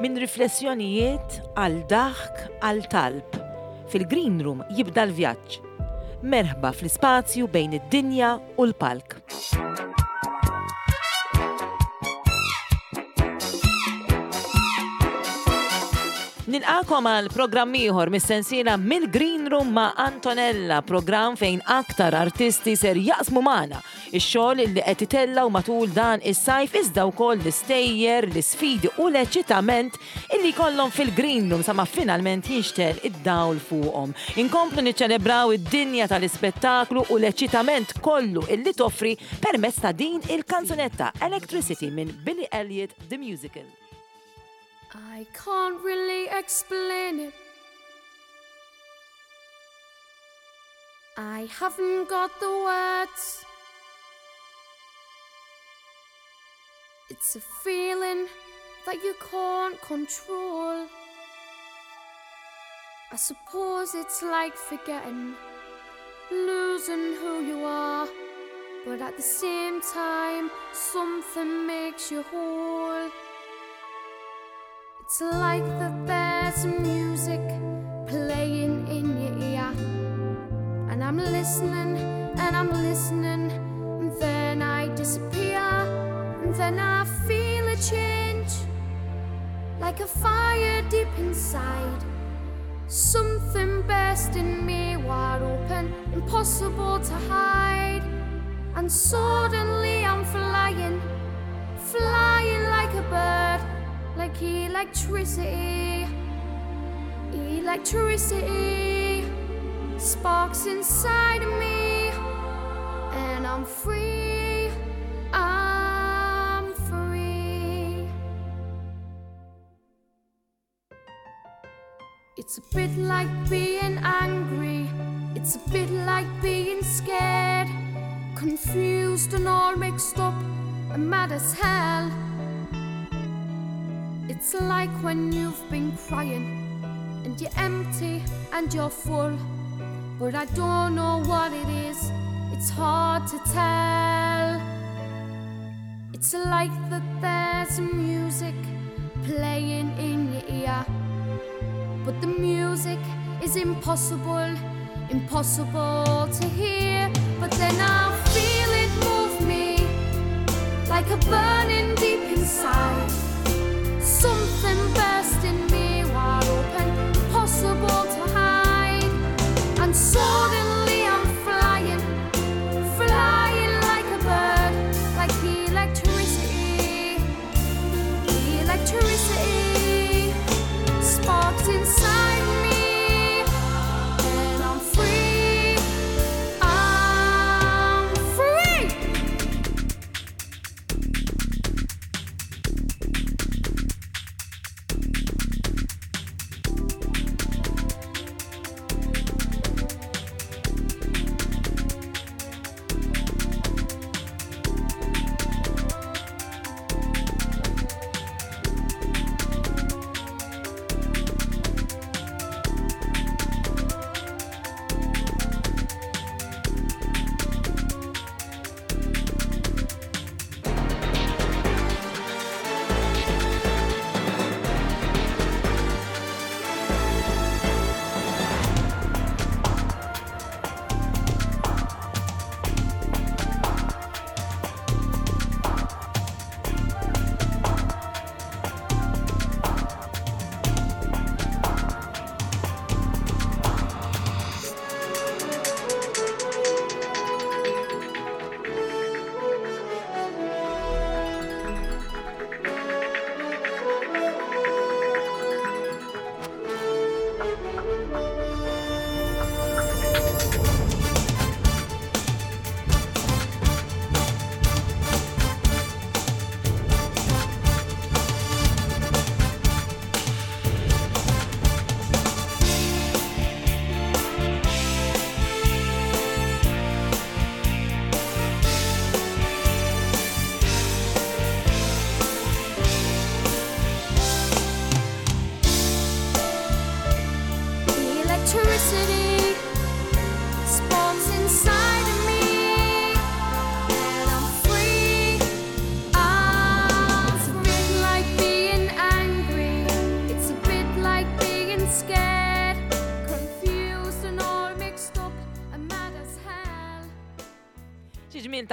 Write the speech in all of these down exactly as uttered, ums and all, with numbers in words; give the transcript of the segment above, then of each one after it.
Minn riflessjonijiet għal daħk għal talb. Fil-Green Room jibda l-vjaġġ. Merħba fl-ispazju bejn id-dinja u l-palk. Nilqakom għal programm ieħor mis-sensiela mill-Green Room ma' Antonella, programm fejn aktar artisti ser jaqsmu magħna ix-xogħol li qed itellgħu matul dan is-sajf iżda wkoll l-istejjer, l-isfidi u l-eċitament illi jkollhom fil-Green Room sa ma finalment jinxtel id-dawl fuqhom. Inkomplu niċċelebraw id-dinja tal-ispettaklu u l-eċitament kollu illi toffri permezz ta' din il-kanzunetta Electricity minn Billy Elliot The Musical. I can't really explain it. I haven't got the words. It's a feeling that you can't control. I suppose it's like forgetting, losing who you are. But at the same time, something makes you whole. It's like that there's music playing in your ear, and I'm listening and I'm listening, and then I disappear, and then I feel a change, like a fire deep inside. Something burst in me wide open, impossible to hide, and suddenly I'm flying, flying like a bird. Like electricity, electricity sparks inside of me, and I'm free, I'm free. It's a bit like being angry, it's a bit like being scared, confused and all mixed up and mad as hell. It's like when you've been crying and you're empty and you're full, but I don't know what it is, it's hard to tell. It's like that there's music playing in your ear, but the music is impossible, impossible to hear. But then I feel it move me like a burning deep inside. Something burst in me wide open, impossible to hide. And suddenly I'm flying, flying like a bird, like electricity, electricity sparks inside me, and I'm free, I'm free.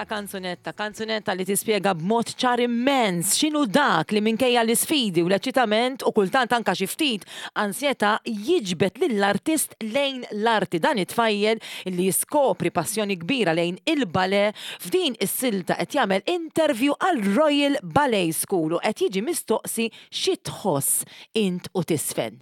Kanzunetta, kanzunetta li tispjega b'mod ċar immens x'inhu dak li minkejja l-isfidi u l-eċitament u kultant anka xi ftit ansjetà jiġbed lill-artist lejn l-arti. Dan it-tfajjel li jiskopri passjoni kbira lejn il-ballet f'din is-silta qed jagħmel interview għal Royal Ballet School u qed jiġi mistoqsi xi tħoss int u tisfen.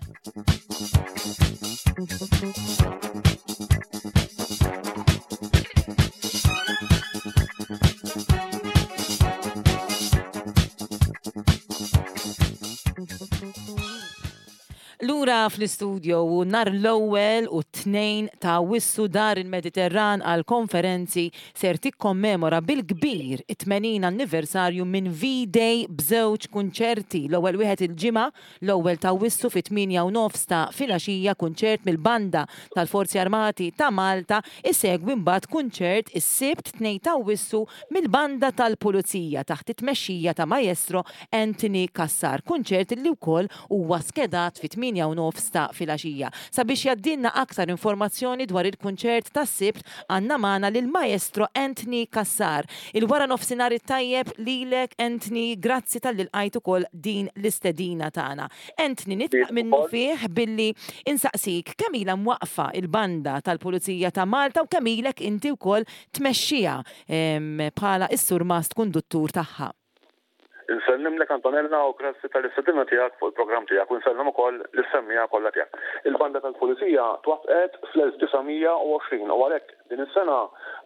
Lura fl-istudio u nhar l-ewwel u t-tnejn ta' Awwissu Dar il-Mediterran għal konferenzi ser tikkommemora bil-kbir it-tmenin anniversarju minn V-Day b'żewġ kunċerti. L-ewwel wieħed il-Ġimgħa, l-ewwel ta' Awwissu fit-tmienja u nofs ta' filgħaxija, kunċert mill-Banda tal-Forzi Armati ta' Malta, isegwi mbagħad kunċert is-Sibt tnejn ta' Awwissu mill-Banda tal-Pulizija taħt it-tmexxija ta' Maestro Anthony Cassar, kunċert li wkoll huwa skedat fit-tmienja u nofs ta' filgħaxija. Sabiex jgħaddilna aktar informazzjoni dwar il-kunċert tas-Sibt għandna magħna lil Maestro Anthony Cassar. Il-wara nofsinhar it-tajjeb lilek Anthony, grazzi talli lqajt ukoll din l-istedina tagħna. Anthony, nitlaq minnu fih billi insaqsik kemm ilha mwaqfa il-Banda tal-Pulizija ta' Malta u kemm ilek inti wkoll tmexxiha bħala is-surmast konduttur tagħha. Insellimlek Antonella u grazzi tal-istedina tiegħek fuq il-programm tiegħek u nsellem ukoll lis-semmiegħa kollha tiegħek. Il-Banda tal-Pulizija twaqqet fl-elf disa' mija u għoxrin u għalhekk din is-sena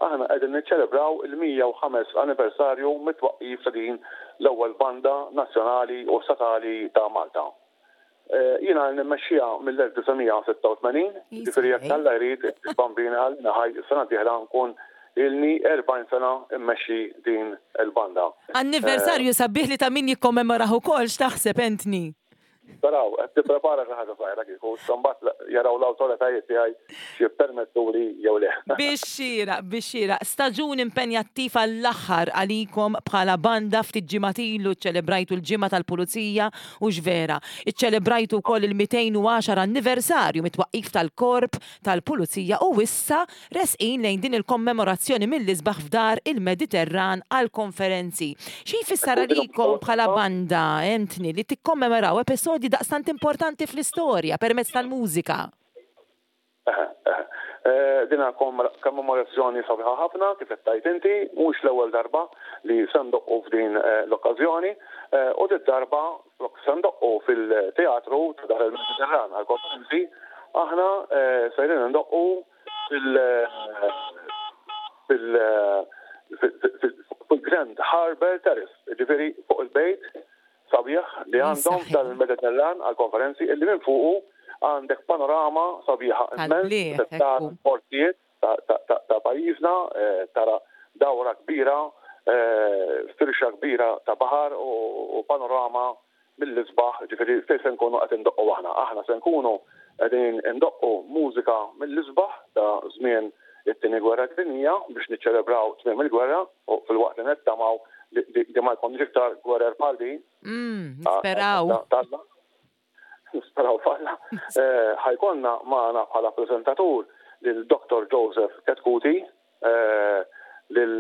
aħna qegħdin niċċelebraw il-mija u ħames anniversarju mit-twaqqif ta' din l-ewwel banda nazzjonali u statali ta' Malta. Jiena nimmexxiha mill-elf disa' mija u sitta u tmenin, jiġifieri jekk Alla jrid il-bambina għalina ħaj is-sena d-dieħla nkun ilni erbgħin sena immexxi din il-banda. Anniversarju sabiħ li ta' min jikkommemoraħ ukoll, x'taħseb Anthony? Taraw, qed tipprepara xi ħaġa żgħira kieku, mbagħad jaraw l-awtoritajiet tiegħi x'jippermettuli jew le. Biex xieraq, biex xieraq. Staġun impenjattiv għall-aħħar għalikom bħala banda. Ftit ġimgħat ilu ċċelebrajtu l-Ġimgħa tal-Pulizija u x'vera. Iċċelebrajtu wkoll il-mitejn u għaxar anniversarju mit-twaqqif tal-Korp tal-Pulizija u issa resqin lejn din il-kommemorazzjoni mill-isbaħ f'Dar il-Mediterran għall-konferenzi. Xi jfisser għalikom bħala banda, Anthony, li tikkommemoraw episodji daqstant importanti fl-istorja permezz tal-mużika? Dina kommemorazzjoni sabiħa ħafna, kif qed tgħid inti, mhux l-ewwel darba li se ndoqqu f'din l-okkażjoni, u dit darba flok se ndoqqu fil-teatru ta' Dar il-Mediterran għall-konferenzi, aħna sejrin ndoqqu fil-Grand Harbour Terrace, ġifieri fuq il-bejt sabiħ li għandhom tal-Mediterran għal-konferenzi, illi minn fuqu għandek panorama sabiħa immens ta' portijiet ta' pajjiżna, tara dawra kbira, firxa kbira ta' baħar u panorama mill-isbaħ, ġifieri fejn se nkunu qed indoqqu aħna. Aħna se nkunu qegħdin indoqqu mużika mill-isbaħ ta' żmien it-tieni gwerra dinjija biex niċċelebraw tmiem il-gwerra u fil-waqt li nittamaw li ma jkunx iktar gwerer bħal din. Nisperaw. Nisperaw falla. Ħajkonna magħna bħala preżentatur lil Doktor Joseph Chetcuti, lil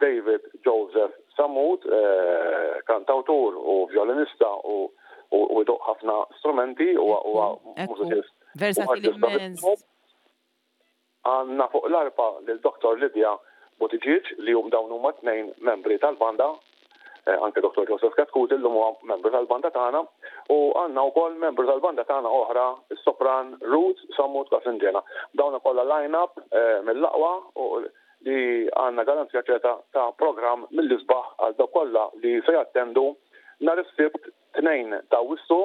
David Joseph Sammut, kantawtur u violinista u jdoqq ħafna strumenti u huwa mużiċist. Versatili immens. Għandna fuq l-arpa lil Doktor Lydia Buttigieg li hum dawn huma tnejn membri tal-banda, anke Doktor Joseph Chetcuti llum huwa membru tal-banda tagħna, u għandna wkoll membru tal-banda tagħna oħra, is-sopran Ruth Sammut Casingena. Dawn kollha line-up mill-aqwa u li għandna garanzija ċerta ta' programm mill-isbaħ għal dawk kollha li se jattendu nhar is-Sibt tnejn ta' Awwissu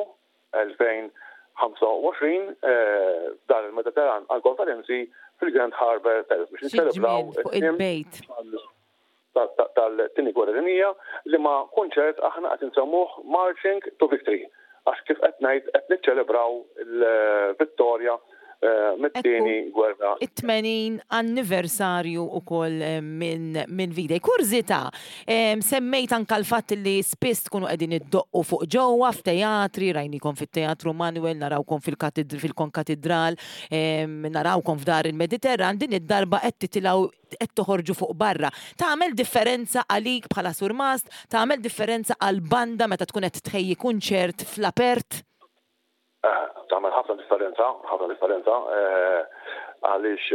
elfejn ħamsa u għoxrin f'Dar il-Mediterran għall-konferenzi fil-Grand Harbour Terrace biex niċċelebraw fuq il-bejt tal-tieni gwerra dinjija, li ma' kunċert aħna qed insemmuh Marching to Victory, għax kif qed ngħid qed niċċelebraw il-vittorja mit-tieni gwerra. It-tmenin anniversarju ukoll minn min V-Day. Kurżità, semmejt anka l-fatt li spiss tkunu qegħdin iddoqqu fuq ġewwa f'teatri, rajnikom fit-Teatru Manuel, narawkom fil-Konkatidral, narawkom f'Dar il-Mediterran, din id-darba qed titilgħu, qed toħorġu fuq barra. Tagħmel differenza għalik bħala surmast, tagħmel differenza għal banda meta tkun qed tħejji kunċert fl-apert? Tagħmel ħafna differenza, ħafna differenza, għaliex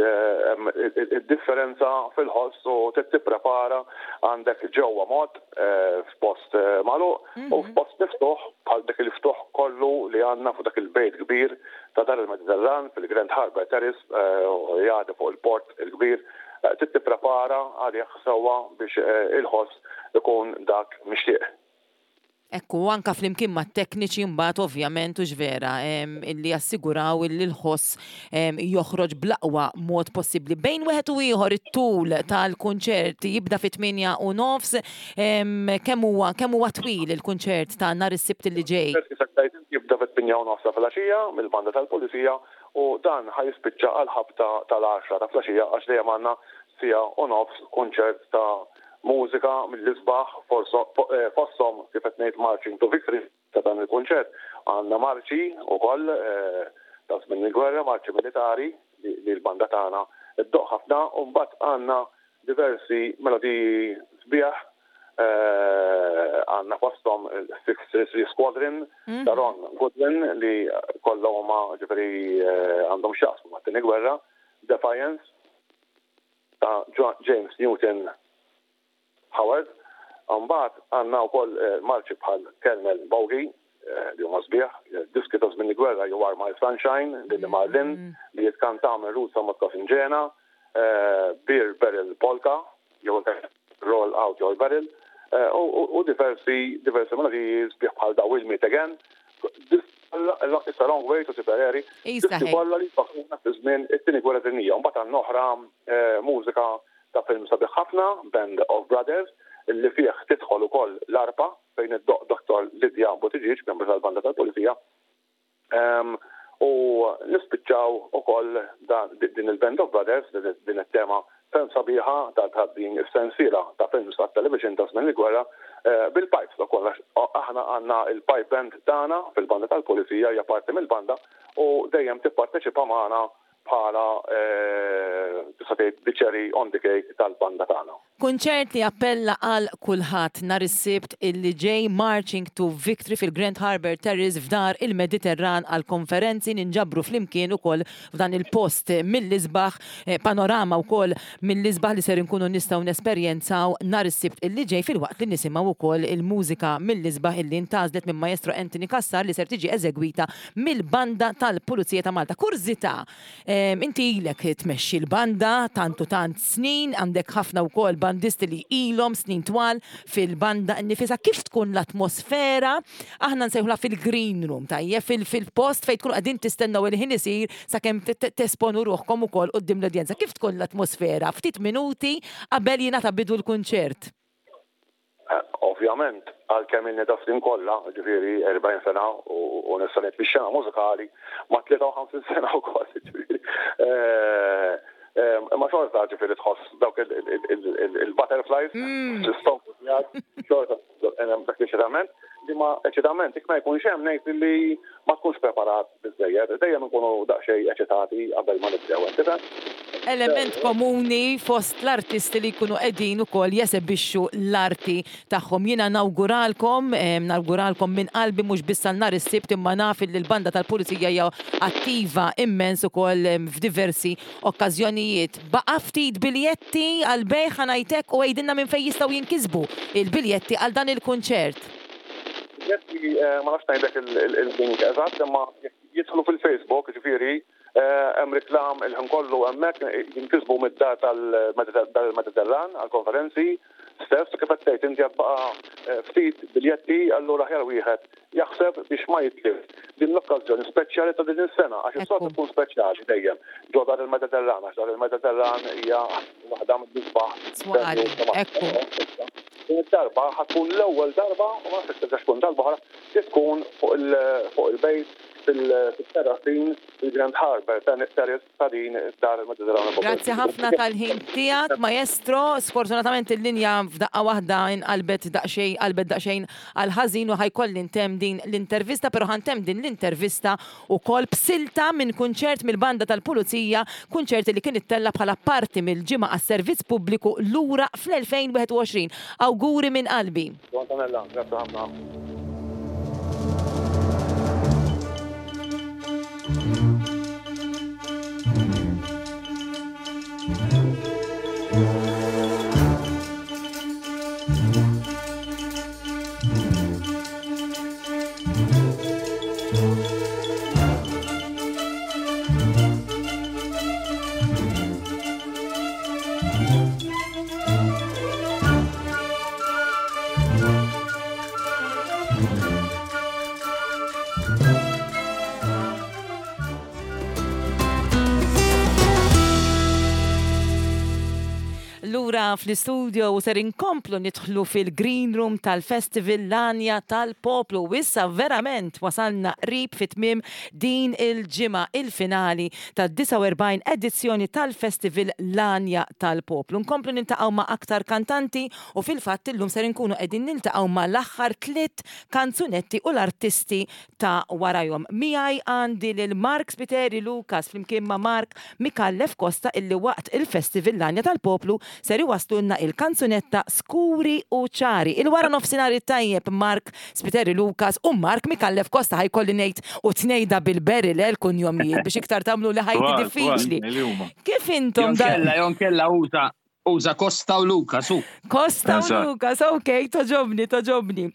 id-differenza fil-ħoss u tipprepara għandek ġewwa mod f'post magħluq u f'post miftuħ bħal dak il-ftuħ kollu li għandna fuq dak il-bejt kbir ta' Dar il-Mediterran fil-Grand Harbour Terrace jgħaddi fuq il-port il-kbir, tipprepara għalih sewwa biex il-ħoss ikun dak mixtieq. Ekku, anka flimkien ma' tekniċi mbagħad ovvjament u vera illi jassiguraw illi l-ħoss joħroġ bl-aqwa mod possibbli. Bejn wieħed u ieħor it-tul tal-kunċert jibda fit-tmienja u nofs, kemm huwa kemm huwa twil il-kunċert ta' nhar is-Sibt li ġej? Jibda fit-tmienja u nofs ta' filgħaxija mill-banda tal-Pulizija u dan ħa jispiċċa għal ħabta tal-għaxra ta' filgħaxija, għax dejjem għandna siegħa u nofs kunċert ta' mużika mill-isbaħ, fosthom kif qed ngħid Marching to Victory ta' dan il-kunċert, għandna marċi wkoll ta' żmien il-gwerra, marċi militari li l-banda tagħna ddoqq ħafna, u mbagħad għandna diversi melodiji sbieħ, għandna fosthom six three three Squadron ta' Ron Goodwin li kollha huma ġifieri għandhom x'jaqsmu mat-tieni gwerra, Defiance ta' James Newton Howard. Mbagħad għandna wkoll marċi bħal Colonel Bogey li huma sbieħ, diski ta' żmien il-gwerra You Are My Sunshine, Lili Marlin li jitkantaw minn Ruth Moscow-Sinġena, Beer Barrel Polka, jew Roll Out Your Barrel, u diversi diversi melodiji sbieħ bħal da We'll Meet Again. It's a Long Way to Tipperary. Diski kollha li jfakruna fi żmien it-tieni gwerra dinjija. Mbagħad għandna oħra mużika ta' film sabiħ ħafna, Band of Brothers, li fih tidħol ukoll l-arpa fejn id-doq Doktor Lydia Buttigieg, membru tal-banda tal-Pulizija. U nispiċċaw ukoll din il-Band of Brothers, din it-tema ferm sabiħa ta' din is-sensiela ta' films ta' television ta' żmien il-gwerra bil-pipes ukoll. Aħna għandna il-pipe band tagħna fil-banda tal-Pulizija, hija parti mill-banda u dejjem tipparteċipa magħna bħala tista' tgħid the cherry on the cake tal-banda tagħna. Kunċert li appella għal kulħadd nhar is-Sibt illi ġej, Marching to Victory fil-Grand Harbour Terrace f'Dar il-Mediterran għal konferenzi, ninġabru flimkien ukoll f'dan il-post mill-isbaħ, panorama wkoll mill-isbaħ li ser inkunu nistgħu nesperjenzaw nhar is-Sibt illi ġej, filwaqt li nisimgħu wkoll il-mużika mill-isbaħ illi ntgħażlet minn Maestro Anthony Cassar li ser tiġi eżegwita mill-banda tal-Pulizija ta' Malta. Kurżità, inti ilek tmexxi l-banda tantu tant snin, għandek ħafna wkoll bandisti li ilhom snin twal fil-banda nnifisha. Kif tkun l-atmosfera? Aħna nsejħula fil-green room, tajjeb, fil-post fejn tkunu qegħdin tistennew il-ħin isir sakemm tesponu ruħkom ukoll quddiem l-udjenza. Kif tkun l-atmosfera ftit minuti qabel jingħata bidu l-kunċert? Ovvjament, għalkemm ilni da snin kollha, ġifieri erbgħin sena u nista' ngħid fix-xena mużikali ma' tlieta u ħamsin sena wkoll, ġifieri. Imma xorta ġifieri tħoss dawk il-butterflies, l-istonku tiegħek, xorta dak l-eċitament, li ma eċitament jekk ma jkunx hemm ngħid li ma tkunx preparat biżżejjed, dejjem nkunu daqsxejn eċitati qabel ma nibdew, tifhem? Element komuni fost l-artisti li jkunu qegħdin ukoll jesebixxu l-arti tagħhom. Jiena nawguralkom, nawguralkom minn qalbi mhux biss għal nhar is-Sibt, imma naf li l-banda tal-Pulizija hija attiva immens ukoll f'diversi okkażjonijiet. Baqa' ftit biljetti għal bejħ ngħidlek u għidilna minn fejn jistgħu jinkisbu il-biljetti għal dan il-kunċert. Biljetti ma nafx ngħidlek il-link eżatt, imma jidħlu fil-Facebook, ġifieri hemm reklam il-ħin kollu hemmhekk, jinkisbu mid-dar tal-Mediterran għall-konferenzi stess, kif qed tgħid inti baqa' ftit biljetti, allura aħjar wieħed jaħseb biex ma jitlif din l-okkażjoni speċjali ta' din is-sena, għax is-soltu tkun speċjali dejjem ġo Dar il-Mediterran, għax Dar il-Mediterran hija waħda mill-isbaħ. Swali, ekku. Din id-darba ħa tkun l-ewwel darba u ma nafx terġax tkun darba oħra li tkun fuq il-bejt fil-terrasin fil-Grand Harbour Terrace ta' din id-dar Mediterrana. Grazzi ħafna tal-ħin tiegħek, maestro. Sfortunatament il-linja f'daqqa waħda inqalbet daqsxejn qalbet daqsxejn għal ħażin u ħa jkolli ntemm din l-intervista, però ħa ntemm din l-intervista ukoll b'silta minn kunċert mill-banda tal-Pulizija, kunċert li kien ittella bħala parti mill-ġimgħa għas-servizz pubbliku lura fl-elfejn u wieħed u għoxrin. Awguri minn qalbi. Antonella, grazzi ħafna. Lura fl-istudio u ser inkomplu nidħlu fil-Green Room tal-Festival L-Għanja tal-Poplu. U issa verament wasalna qrib fit-tmiem din il-ġimgħa, il-finali tad-disgħa u erbgħin edizzjoni tal-Festival L-Għanja tal-Poplu. Nkomplu niltaqgħu ma' aktar kantanti u fil-fatt illum ser inkunu qegħdin niltaqgħu ma' l-aħħar tliet kanzunetti u l-artisti ta' warajhom. Miegħi għandi lil Mark Spiteri Lucas flimkien ma' Mark Mikallef Costa, illi waqt il-Festival L-Għanja tal-Poplu ser iwaslulna il-kanzunetta Skuri u Ċari. Il-wara nofsinhar tajjeb, Mark Spiteri Lucas u Mark Mikallef Costa. Ħa jkolli ngħid u tnejda bil-berri l kunjomijiet biex iktar tagħmlu li ħajti diffiċli. Kif intom? Jonkella, jonkella uża uża Costa u Luka, su. Costa u Lucas, ok, togħġobni, togħġobni.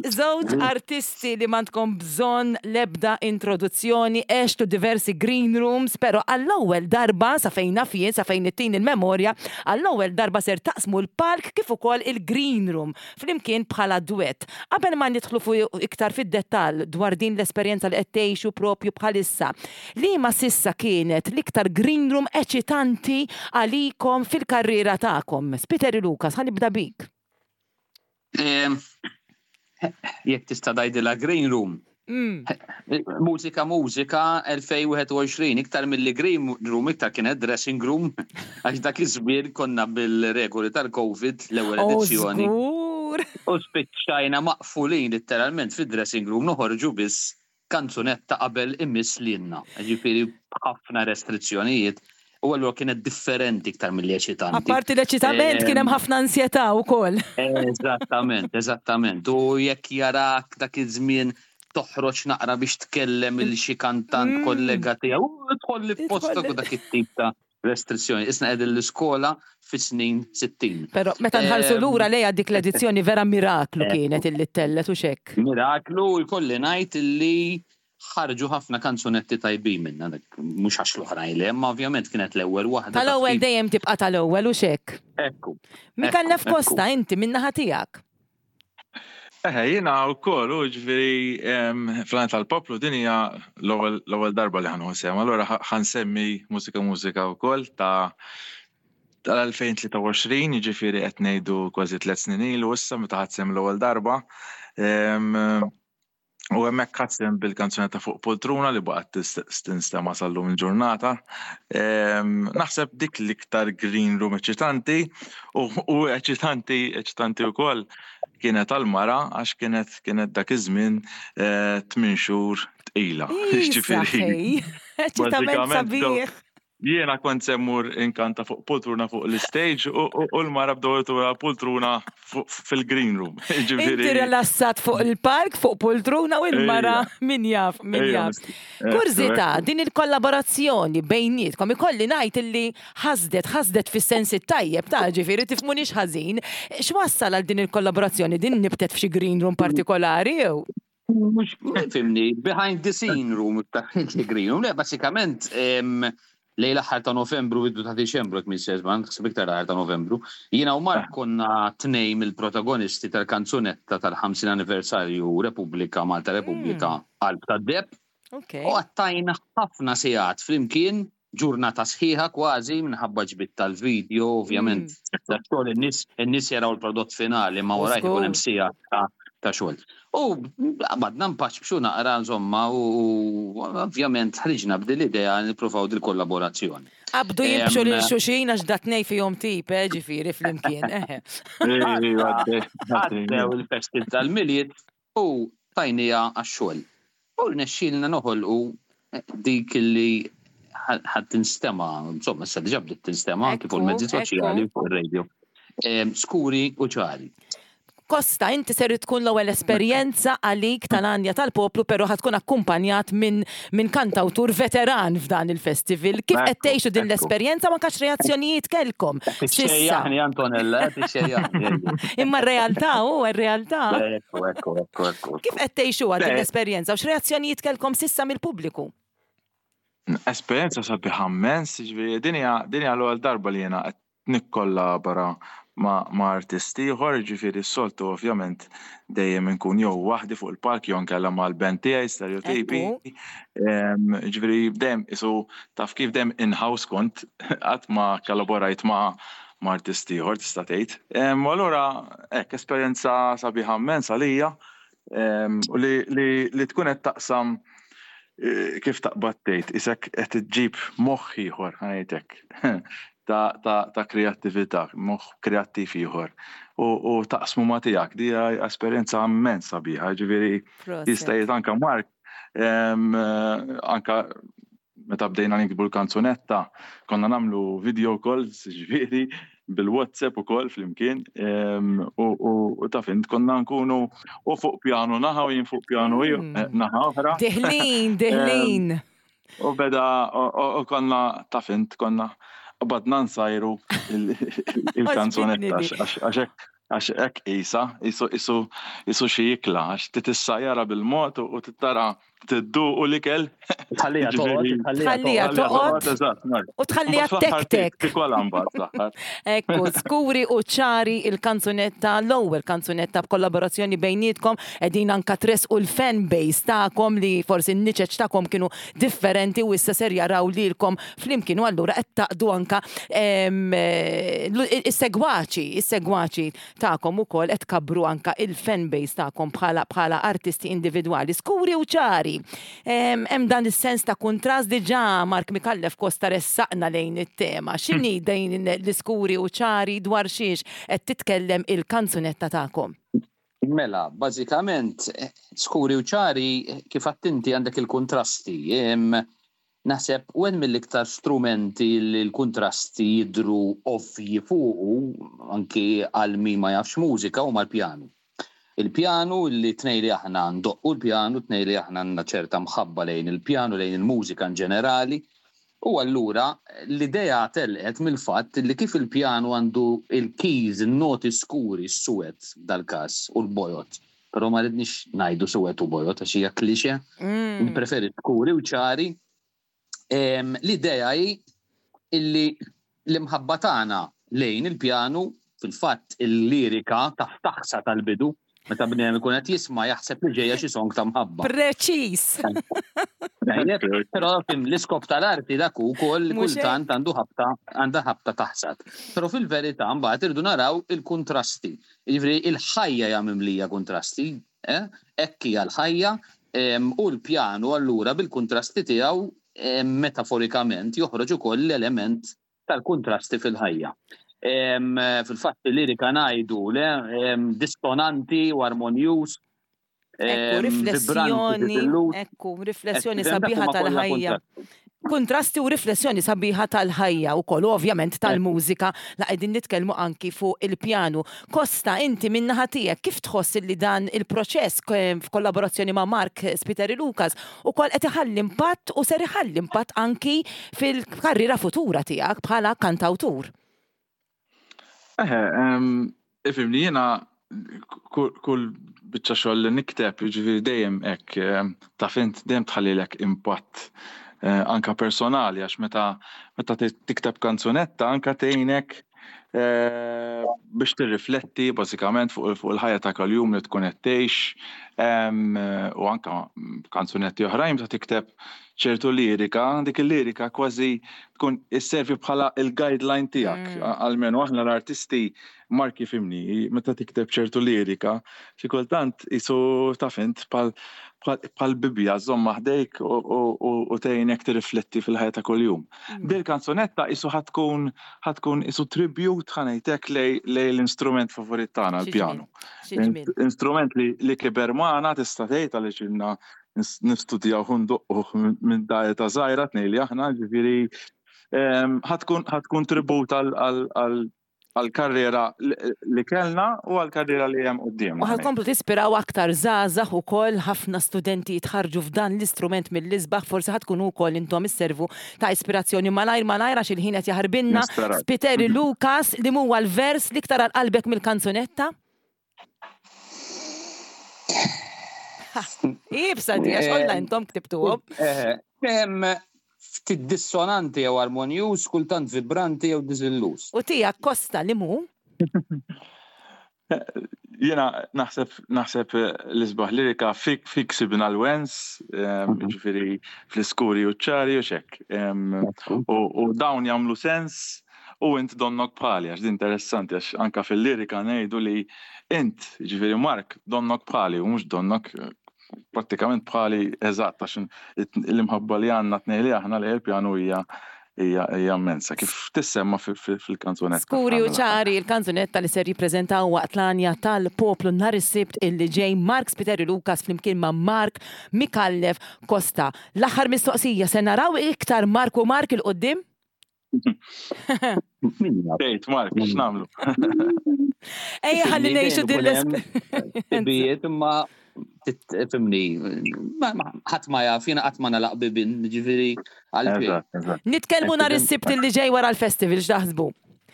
Żewġ artisti li m'għandkom bżonn lebda introduzzjoni, għextu diversi green rooms, pero għall-ewwel darba, sa fejn naf jien, sa fejn ittin il-memorja, għall-ewwel darba ser taqsmu l-palk kif ukoll il-green room flimkien bħala duett. Qabel ma nidħlu fuq iktar fid-dettall dwar din l-esperjenza li qed tgħixu propju bħalissa, liema s'issa kienet l-iktar green room eċitanti għalikom fil-karriera tagħkom? Spiteri Lucas, ħa nibda bik. Jekk tista' tgħidilha green room. Mm. Mużika Mużika elfejn u wieħed u għoxrin, iktar mill-li green room, iktar kienet dressing room, għax dak iż-żmien konna bil-regoli tal-Covid l-ewwel Oh, edizzjoni. żgur. U spiċċajna maqfulin literalment fid-dressing room, noħorġu biss kanzunetta qabel imiss lilna. Ġifieri ħafna restrizzjonijiet u allura kienet differenti iktar mill-li eċitanti. Apparti l-eċitament kien hemm ħafna ansjetà wkoll. Eżattament, eżattament. U jekk jarak dak iż-żmien toħroġ naqra biex tkellem il xi kantant Mm. kollega tiegħu, u tħolli f'postok Tħolli. u dak it-tip ta' restrizzjoni. Isna qegħdin l-iskola fis-snin sittin. Però meta nħarsu Em, lura lejha dik l-edizzjoni, vera miraklu Ekku. kienet illi tellet u xek. Miraklu, jkolli ngħid illi ħarġu ħafna kanzunetti tajbin minna, dak mhux għax l-oħrajn le, imma ovvjament kienet l-ewwel waħda. Tal-ewwel taf kif- dejjem tibqa' tal-ewwel u xek. Ekku. Mikallef Ekku, Costa, inti minnaħa tiegħek. Eħe, jiena u koll, u ġifieri fl-Għanja tal-Poplu din hija l-ewwel l-ewwel darba li ħa nieħu sehem. Allura ħa nsemmi Mużika Mużika wkoll ta' tal-elfejn u tlieta u għoxrin, ġifieri qed ngħidu kważi tliet snin ilu issa meta ħadt sehem l-ewwel darba. Em, U hemmhekk ħadt sehem bil-kanzunetta Fuq Poltruna li baqgħet tis- tinstema' sal-lum il-ġurnata. Em, Naħseb dik l-iktar green room eċitanti u u eċitanti eċitanti wkoll kienet għal-mara għax kienet kienet dak iż-żmien eh, tmien xhur tqila. Ġifieri, Saħej. Eċitament bażikament sabiħ. Jiena kont se mmur inkanta fuq poltruna fuq l-stage u u- u l-mara bdew jtuha poltruna fuq- fil-green room. Inti Ġifieri, rilassat fuq il-palk, fuq poltruna u il-mara min jaf, min Ejja, jaf. ekku, Kurżità, ekku. din il-kollaborazzjoni bejnietkom, ikolli ngħid illi ħasdet, ħasdet fis-sens it-tajjeb ta', ġifieri tifhmunix ħażin. X'wassal għal din il-kollaborazzjoni? Din nibtet f'xi green room partikolari jew? Mhux fhimni, behind the scene room, iktar green room. Le, basikament, em, lejn l-aħħar ta' Novembru, bidu ta' Diċembru, jekk minn sezman, ħsib iktar l-aħħar ta' Novembru. Jiena u Mark konna tnejn mill-protagonisti tal-kanzunetta tal-ħamsin anniversarju Repubblika, Malta Repubblika, Qalb tad-Deheb. Ok. U għaddejna ħafna sigħat flimkien, ġurnata sħiħa kważi, minħabba ġbit tal-video, ovvjament. Da xogħol in-nies in-nies jaraw il-prodott finali, ma warajh ikun hemm sigħat ta' ta' xogħol. U għabadna npaċbxu naqra insomma u ovvjament ħriġna b'dil idea nippruvaw dil-kollaborazzjoni. Qabdu jibxu lil xulxin għax dat-tnejn fihom tip, eh, ġifieri flimkien. Għaddew il-festi tal-Milied u tajnija għax-xogħol. U rnexxielna noħolqu dik li ħadd tinstema, insomma, issa diġà bdiet tinstema anki fuq il-mezzi soċjali u fuq ir-radio. Skuri u ċari. Kosta, inti ser tkun l-ewwel esperjenza għalik tal-Għanja tal-Poplu, però ħa tkun akkumpanjat minn min kantawtur veteran f'dan il-festival. Kif qed tgħixu din l-esperjenza ma kax reazzjonijiet kelkom? Tixxejjaħni Antonella, tixxejjaħni. Imma r-realtà hu r-realtà. Ekku, ekku, ekku, ekku. Kif qed tgħixuha din l-esperjenza u x'reazzjonijiet kelkom sissa mill-pubbliku? Esperjenza sabiħa immens, ġifieri din hija din hija l-ewwel darba li jiena qed nikkollabora ma', ma' artisti ieħor, ġifieri s-soltu ovvjament dejjem inkun jew waħdi fuq il-palk jew nkella mal-band tiegħi Stereotipi. Ġifieri dejjem isu taf kif dejjem in-house kont qatt ma kollaborajt ma' ma' artisti ieħor tista' tgħid. U allura hekk esperjenza sabiħa immens għalija u li, li, li tkun qed taqsam kif taqbad tgħid, isek qed iġġib moħħ ieħor ħa ngħidlek ta' ta' ta' kreattività, moħħ kreattiv ieħor. U, u taqsmu ma' tiegħek, di hija esperjenza immens sabiħa, ġifieri jista' jgħid anke Mark, anka meta bdejna niktbu l-kanzunetta, konna nagħmlu video calls, ġifieri bil-WhatsApp ukoll flimkien, u, u, u taf int konna nkunu u fuq pjanu naħa u jien fuq pjanu naħa oħra. Deħlin, deħlin. U beda, u konna taf int konna badna nsajru il-kanzunetta għax hekk qisha, isu xi ikla, għax titissajara bil-mod u tittara tidduqu l-ikel. Tħallija toqgħod, tħallija toqgħod u tħallija tektek. Tikola mbagħad fl-aħħar. Ekku, skuri u ċari il-kanzunetta, l-ewwel kanzunetta b'kollaborazzjoni bejnietkom, qegħdin anka tresqu l-fan base tagħkom li forsi n-niċeċ tagħkom kienu differenti u issa ser jaraw lilkom flimkien u allura qed taqdu anka is-segwaċi, is-segwaċi tagħkom ukoll qed tkabbru anka il-fan base tagħkom bħala bħala artisti individwali. Skuri u ċari. Hemm dan is-sens ta' kuntrast diġà Mark Micallef Costa ressaqna lejn it-tema. X'inhi din l-iskuri u ċari dwar xiex qed titkellem il-kanzunetta tagħkom? Mela, bażikament skuri u ċari kif attinti għandek il-kontrasti. Naħseb u hemm mill-iktar strumenti li l-kontrasti jidru ovvji fuqu anki għal min ma jafx mużika huma l-pjanu. Il-pjanu li tnej li aħna ndoqqu l-pjanu, tnej li aħna għandna ċerta mħabba lejn il-pjanu, lejn il-mużika in ġenerali, u allura l-idea telqet mill-fatt li kif il-pjanu għandu il-keys, il-noti skuri, s-suwed dal-każ u l-bojot. Però ma rridniex ngħidu suwed u bojot għax hija klixe, npreferi skuri u ċari. L-idea hi illi l-imħabba tagħna lejn il-pjanu, fil-fatt il-lirika taħsa tal-bidu, meta bniedem ikun qed jisma' jaħseb li ġejja xi song ta' mħabba. Preċiż. Però fim l-iskop tal-arti dak ukoll kultant għandu ħabta għandha ħabta taħsad. Però fil-verità mbagħad irdu naraw il-kontrasti. Jiġifieri il-ħajja hija mimlija kontrasti, hekk hija l-ħajja, u l-pjanu allura bil-kontrasti tiegħu metaforikament joħroġ ukoll l-element tal-kontrasti fil-ħajja. Fil-fatt il-lirika ngħidu le distonanti u armonjuż. Ekku, riflessjoni, ekku, riflessjoni sabiħa tal-ħajja. Kontrasti u riflessjoni sabiħa tal-ħajja u kollu ovvjament tal-mużika la qegħdin nitkellmu anki fuq il-pjanu. Kosta, inti min-naħa tiegħek kif tħoss li dan il-proċess f'kollaborazzjoni ma' Mark Spiteri Lucas ukoll qed iħalli impatt u ser iħalli impatt anki fil-karriera futura tiegħek bħala kantawtur? Eħe, ifimni jiena kull biċċa xogħol li nikteb, jiġifieri dejjem hekk taf int dejjem tħallilek impatt anka personali, għax meta meta tikteb kanzunetta anka tgħinek biex tirrifletti bażikament fuq il-ħajja ta' kuljum li tkun qed tgħix, U anka kanzunetti oħrajn meta tikteb ċertu lirika, dik il-lirika kważi tkun isservi bħala il-guideline tiegħek. Almenu aħna l-artisti, Mark jifhimni, meta tikteb ċertu lirika, xi kultant isu taf int bħal Bibbja żomm ħdejk u tgħinek tirrifletti fil-ħajja ta' kuljum. Dil kanzunetta isu ħa tkun ħa tkun isu tribute, ħa ngħidlek, lej l-instrument favorit tagħna, l-pjanu. Instrument li kiber magħna, tista' tgħid, għaliex ilna nistudjaw u ndoqqu minn ta' żgħira tnejn li aħna, ġifieri ħa tkun tribut għal-karriera li kellna u għal-karriera li hemm quddiem. U ħa tkomplu tispiraw aktar żgħażagħ ukoll, ħafna studenti jitħarġu f'dan l-istrument mill-isbaħ, forsi ħa tkunu wkoll intom isservu ta' ispirazzjoni. Malajr malajr għax il-ħin qed jaħarbinna. Spiteri Lucas, li huwa l-vers l-iktar għal qalbek mill-kanzunetta? Ibsa di, għax kollha intom ktibtuhom. Ftit dissonanti jew armonjuż, kultant vibranti jew diżilluż. U tiegħek, Kosta, li mu? Jiena naħseb naħseb l-isbaħ lirika fik fik sibna l-wens, ġifieri fl-iskuri u ċari u xek. U dawn jagħmlu sens u int donnok bħali, għax din interessanti, għax anka fil-lirika ngħidu li int, ġifieri Mark, donnok bħali u mhux donnok prattikament bħali eżatt, għax l-imħabba li għandna tnejn li aħna li l-pjanu hija hija immensa, kif tissemma fil-kanzunetta. Skuri u ċari, il-kanzunetta li ser jippreżentaw waqt l-għanja tal-poplu nhar is-Sibt illi ġej Mark Spiteri Lucas flimkien ma' Mark Micallef Costa. L-aħħar mistoqsija, se naraw iktar Mark u Mark il-qoddim? Tgħid Mark, x'nagħmlu? Ejja ħalli ngħixu din l Bijiet imma tifhimni, ħadd ma jaf, jiena qatt ma nalaq bibin, ġifieri għal. Nitkellmu nhar is-Sibt li ġej wara l-festival, x'taħsbu?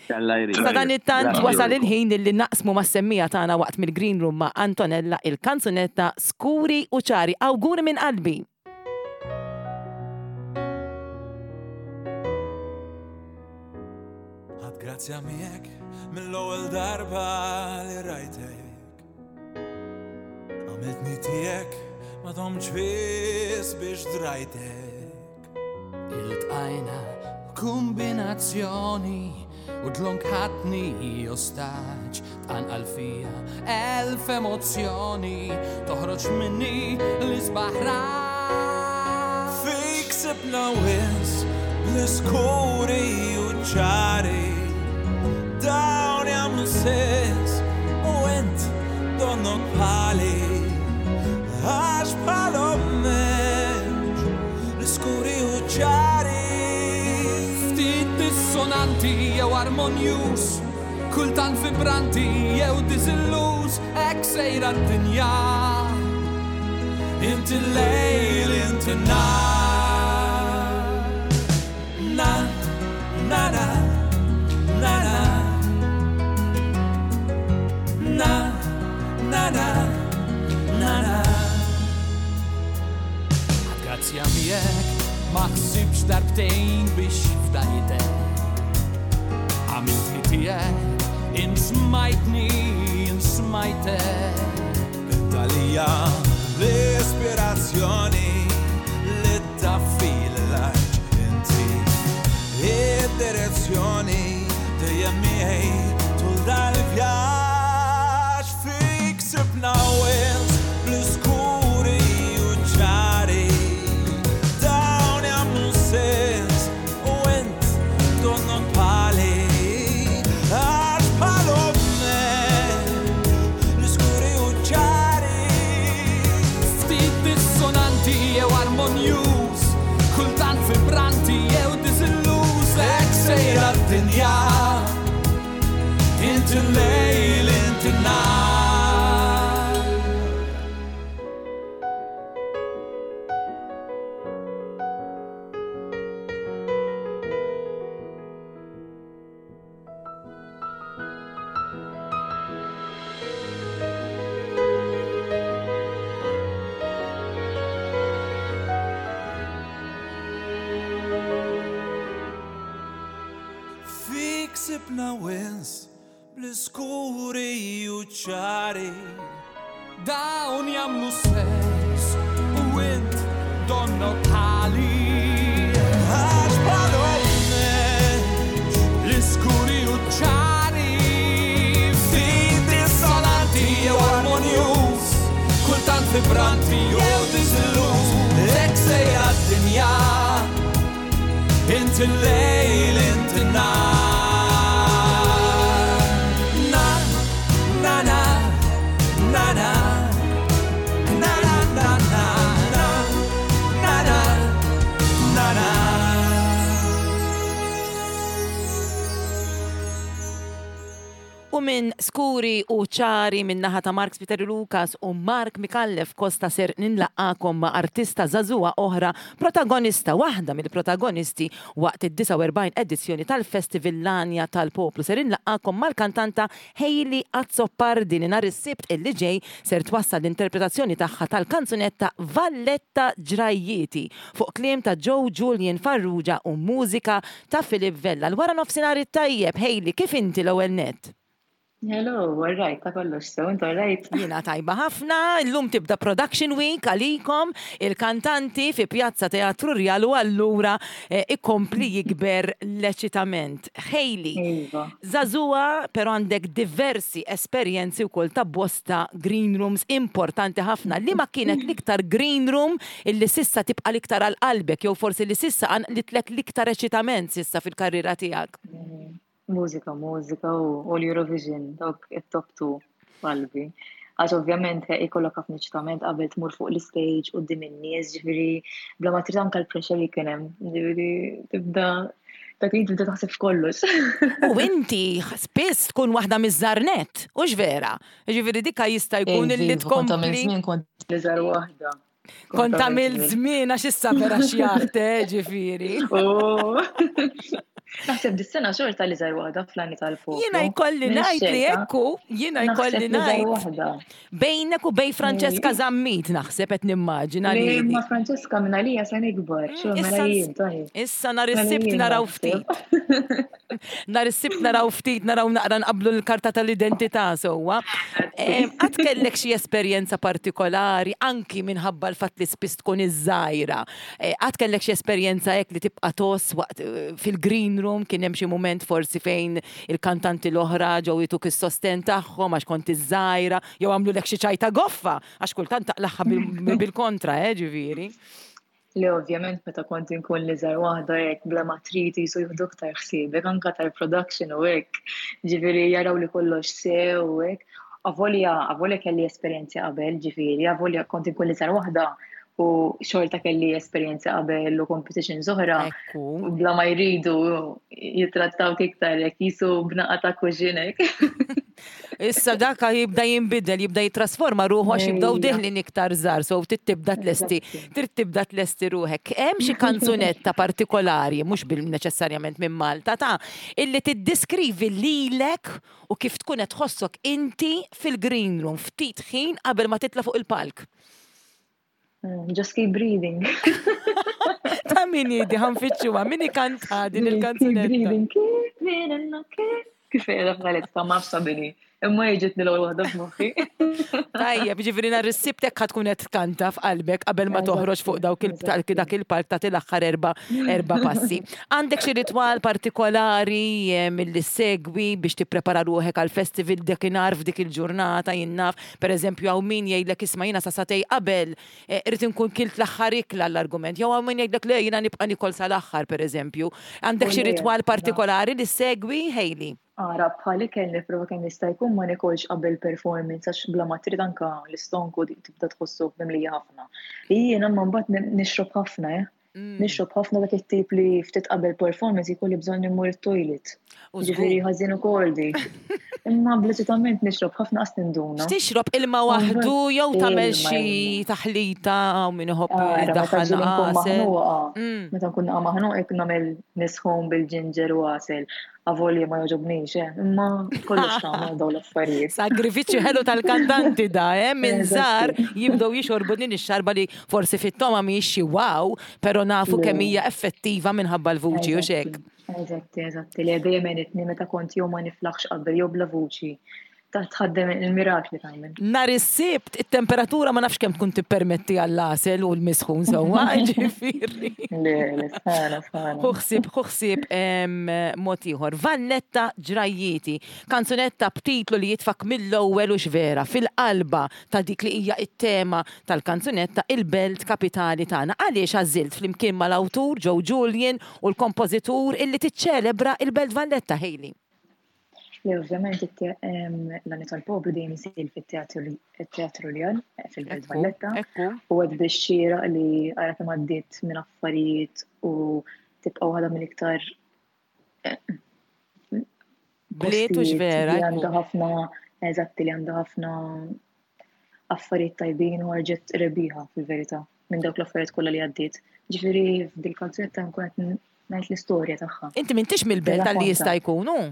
Sa dan it-tant wasal il-ħin li naqsmu mas-semmija tagħna waqt mill-Green Room ma' Antonella il-kanzunetta Skuri u Ċari. Awguri minn qalbi. Ħadd grazzja miegħek mill-ewwel darba li rajtek. Għamiltni tiegħek ma domtx biss biex drajtek. Iltqajna kombinazzjoni u dlonk ħadni ostaġġ, tqanqal fija elf emozzjoni, toħroġ minni l-isbaħ. Fik sibna wens bl-iskuri u ċari, dawn jagħmlu sens u int donnok bħali, għax bħalhom m'hemmx l-iskuri u ċari. Ftit dissonanti jew armonjuż, kultant vibranti jew diżilluż, hekk sejra d-dinja. Inti l-lejl, inti n-nar. Na, na, na, na, na. Na, na, na, na, na. Grazzja miegħek ma ħsibx darbtejn biex fdajtek. Għamiltni tiegħek, insmajtni, insmajtek. Intalija l-ispirazzjoni li taffi l-laġ, inti id-direzzjoni dejjem miegħi tul dal-vjaġġ. Fik sibna wens bl-iskuri u ċari, dawn jagħmlu sens u int donnok bħali, għax bħalhom m'hemmx l-iskuri u ċari. Ftit dissonanti jew armonjuż, kultant vibranti jew diżilluż, hekk sejra d-dinja. Inti l-lejl, inti n-nar. Fik sibna wens bl-iskuri u ċari, Dawn jagħmlu sens u int donnok ħali. Għax bħalhom m'hemmx l-iskuri u ċari, ftit dissonanti jew armonjuż, kultant vibranti jew diżilluż. Hekk sejra d-dinja, int il-lejl, int in-nar. Na, na, na, na, na. Na, na, na, na, na, na, na, na, na. U minn Skuri u Ċari minn naħa ta' Mark Spiteri Lucas u Mark Micallef Costa ser ninlaqakom ma' artista żagħżugħa oħra, protagonista, waħda mill-protagonisti waqt id-disgħa u erbgħin edizzjoni tal-Festival L-Għanja tal-Poplu. Ser inlaqakom mal-kantanta Hayley Azzopardi li nhar is-Sibt illi ġej ser twassal l-interpretazzjoni tagħha tal-kanzunetta Valletta Ġrajjieti fuq kliem ta' Joe Julian Farrugia u mużika ta' Philip Vella. L-wara nofsinhar it-tajjeb, Hayley, kif inti l-ewwel nett? Hello, all right, ta' kollox, so, inti all right? Jiena tajba ħafna, illum tibda Production Week għalikom, il-kantanti fi Pjazza Teatru Rjal u allura, eh, ikompli jikber l-eċitament. Hayley, Iva. żagħżugħa, però għandek diversi esperjenzi wkoll ta' bosta green rooms importanti ħafna. Li ma kienet l-iktar green room illi sissa tibqa' l-iktar għal qalbek, jew forsi li sissa għanqlitlek l-iktar eċitament sissa fil-karriera tiegħek? Mm. Mużika, mużika u, u l-Eurovision, dawk it-top two qalbi. Għax ovvjament ikollok ħafna eċitament qabel tmur fuq l-stage quddiem in-nies, ġifieri bla ma trid anke l-pressure li kien hemm, ġifieri tibda dak li tibda taħseb f'kollox. U inti spiss tkun waħda miż-żarnet, hux vera? Ġifieri dikka jista' jkun Ej, illi viva, kont għamil tkompli. żmien kont l-iżgħar waħda. Kont għamil żmien għax issa vera xjaħt, eh, ġifieri. Oh. Naħseb dis-sena xorta li żgħar waħda fl-għani tal-poplu. Jiena jkolli Minn ngħid li xejta. ekku, jiena Naħseb jkolli li żgħar ngħid. waħda. Bejnek u bej Francesca Ej. Zammit naħseb qed nimmaġina Le, li ma Francesca minn għalija se nikbar, Mm, xo, mela issa jien, ns- tajjeb. Issa nhar Mela is-Sibt jien naraw naħseb. ftit. Nhar is-Sibt naraw ftit, naraw naqra nqablu l-karta tal-identità sewwa. Em, Qatt kellek xi esperjenza partikolari anki minħabba l-fatt li spiss tkun iż-żgħira. Eh, Qatt kellek xi esperjenza hekk li tibqa' toss waqt, eh, fil-green room, kien hemm xi mument forsi fejn il-kantanti l-oħra ġew jituk is-sosten tagħhom għax kont iż-żgħira, jew għamlulek xi ċajta goffa għax kultant taqlaħħa bil-, bil-kontra, eh, ġifieri. Le, ovvjament, meta kont inkun li żgħar waħda hekk bla ma trid jisu jieħdu aktar ħsiebek, anke tal-production u hekk. Ġifieri jaraw li kollox sew u hekk. Avolja, avolja kelli esperjenzi qabel, ġifieri, avolja kont inkun li żgħar waħda u xorta kelli esperjenzi qabel u competitions oħra. Ekku. Bla ma jridu jitrattawk iktar hekk jisu b'naqa ta' kuġinek. Issa dak jibda jinbidel, jibda jitrasforma ruħu għax jibdew Ejja. deħlin iktar żgħar, so trid tibda tlesti, Eżatti. trid tibda tlesti ruħek. Hemm xi kanzunetta partikolari, mhux bil neċessarjament minn Malta, ta' illi tiddiskrivi lilek u kif tkun qed tħossok inti fil-green room ftit ħin qabel ma titla' fuq il-palk. Mm, Just keep breathing. Ta' min hi di ħanfittxuha, min ikanta din Keep il-kanzunetta? breathing, keep breathing, keep. Kif qiegħda bħalissa ma nafx bini. Imma jiġitni l-ewwel waħda f'moħħi. Tajjeb, ġifieri nhar is-Sibt hekk ħa tkun qed tkanta f'qalbek qabel ma toħroġ fuq dawk il- Eżatti. dak il-palk tagħti l-aħħar erba', erba' passi. Għandek xi ritwal partikolari, eh, milli segwi biex tipprepara ruħek għal festival dakinhar f'dik il-ġurnata, jien naf, pereżempju hawn min jgħidlek isma' jiena sa sagħtejn qabel, eh, irrid inkun kilt l-aħħar ikla l-argument, jew hawn min jgħidlek le jiena nibqa' nikol sal-aħħar pereżempju. Għandek xi Kulli ritwal jekk, partikolari li segwi, Hayley? Ara, bħal ikel nipprova kemm jista' jkun ma nikolx qabel performance għax bla ma trid anka l-istonku tibda tħossu mimlija ħafna. Jiena imma mbagħad ni-, nixrob ħafna, eh. Mm. Nixrob ħafna dak it-tip li ftit qabel performance jkolli bżonn immur it-toilet. U Ġifieri żgur. ħażin ukoll dik. Imma bleċitament nixrob ħafna qas ninduna. X'tixrob ilma waħdu jew tagħmel Ilma, xi ilma. taħlita u min iħobb Ara, meta jdaħħal ġieli nkun għasel. maħnuqa, Mm. meta nkun naqa' maħnuqa jekk nagħmel nisħon bil-ġinġer u għasel. Avolja ma jogħġobnix, eh, imma kollox tagħmel dawn l-affarijiet. Sagrifiċċju ħelu tal-kantanti da, eh, minn Eżatti. żgħar jibdew jixorbu din ix-xarba li forsi fit-toma mhijiex xi wow, però nafu Le. kemm hija effettiva minħabba l-vuċi u xek. Eżatti, eżatti, li dejjem għenitni meta kont jew ma niflaħx qabel jew bla vuċi. Tħaddem il-mirakli tagħmel. Nhar is-Sibt it-temperatura ma nafx kemm tkun tippermetti għall-għasel u l-misħun sewwa, ġifieri. Le, le, sħana, sħana. Ħu ħsieb, ħu ħsieb mod ieħor. Valletta Ġrajjieti, kanzunetta b'titlu li jitfak mill-ewwel u x'vera fil-qalba ta' dik li hija t-tema tal-kanzunetta il-belt kapitali tagħna. Għaliex għażilt flimkien mal-awtur Joe Julian u l-kompożitur illi tiċċelebra il-Belt Valletta, Hayley? Le, ovvjament l-Għanja tal-Poplu dejjem isir fit-Teatru Rjal fil-Belt Valletta. U għad biex xieraq li ara kemm għaddiet minn affarijiet u tibqa' waħda mill-iktar bliet u x'vera. Li għandha ħafna, eżatti, li għandha ħafna affarijiet tajbin u ħarġet rebbieħa fil-verità minn dawk l-affarijiet kollha li għaddiet. Ġifieri f'dil-kanzunetta nkun qed ngħid l-istorja tagħha. Inti m'intix mill-belt għalli jista' jkun hu?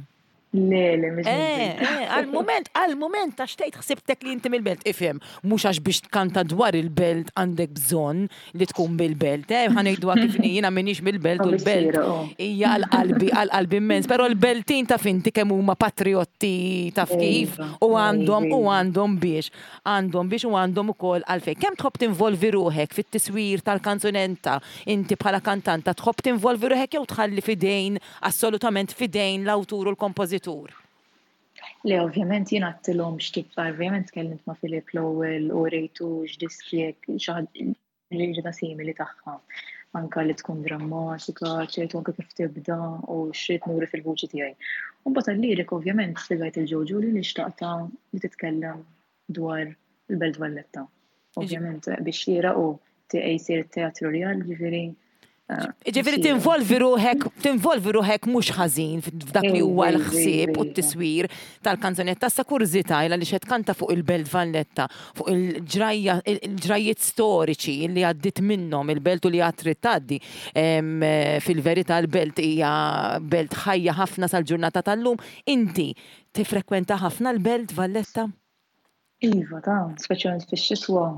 Le, le, mhux Eh, eh, għal-moment, għal-moment, għax tgħid ħsibtek li inti mill-belt. Ifhem, mhux għax biex tkanta dwar il-belt għandek bżonn li tkun bil-belt. Eh, ħa ngħiduha kif inhi, jiena m'iniex mill-belt u l-belt hija għal-qalbi, għal-qalbi immens. Però l-beltin taf inti kemm huma patriotti taf kif u għandhom u għandhom biex. Għandhom biex u għandhom ukoll għalfejn. Kemm tħobb tinvolvi ruħek fit-tiswir tal-kanzunetta, inti bħala kantanta tħobb tinvolvi ruħek jew tħalli fidejn, assolutament fidejn l-awtur u l-kompożitur? Le, ovvjament jien għedtilhom x'tip, ovvjament tkellimt ma' Filip l-ewwel u rejtu x'diski hekk, xi ħaġa li ġeda simili tagħha. Anka li tkun drammatika, ċertu anke kif tibda u x'rid nuri fil-vuċi tiegħi. U mbagħad għal-lirik ovvjament spjegajt il Joe Julian li xtaqta li titkellem dwar il-Belt Valletta. Ovvjament biex xieraq u jsir it-Teatru Rjal, ġifieri. Ġifieri tinvolvi ruħek, tinvolvi ruħek mhux ħażin f'dak li huwa l-ħsieb u t-tiswir tal-kanzunetta. Sa kurżità ila li xed kanta fuq il-Belt Valletta, fuq il-ġrajja, il-ġrajjiet storiċi li għaddit minnhom il-belt u li għad trid tgħaddi. Fil-verità l-belt hija belt ħajja ħafna sal-ġurnata tal-lum. Inti tifrekwenta ħafna l-Belt Valletta? Iva, ta' speċjalment fix-xitwa,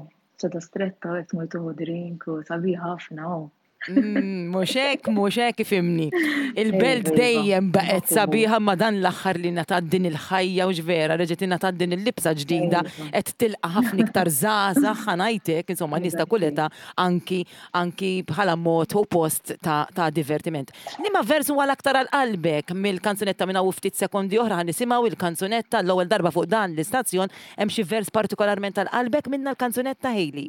ċeda stretta, qed tmur tieħu drink u sabiħ ħafna. Mhux hekk, mhux hekk ifhimni. Il-belt dejjem baqgħet sabiħa ma dan l-aħħar li ngħatat din il-ħajja u x'vera, reġgħet ingħatat din il-libsa ġdida qed tilqa' ħafna iktar żgħażagħ ħa ngħidlek, insomma nies ta' kull età anki anki bħala mod u post ta', ta' divertiment. Liema vers huwa l-aktar għal qalbek mill-kanzunetta minn hawn ftit sekondi oħra ħa nisimgħu il-kanzunetta l-ewwel darba fuq dan l-istazzjon, hemm xi vers partikolarment għal qalbek minna l-kanzunetta Hayley?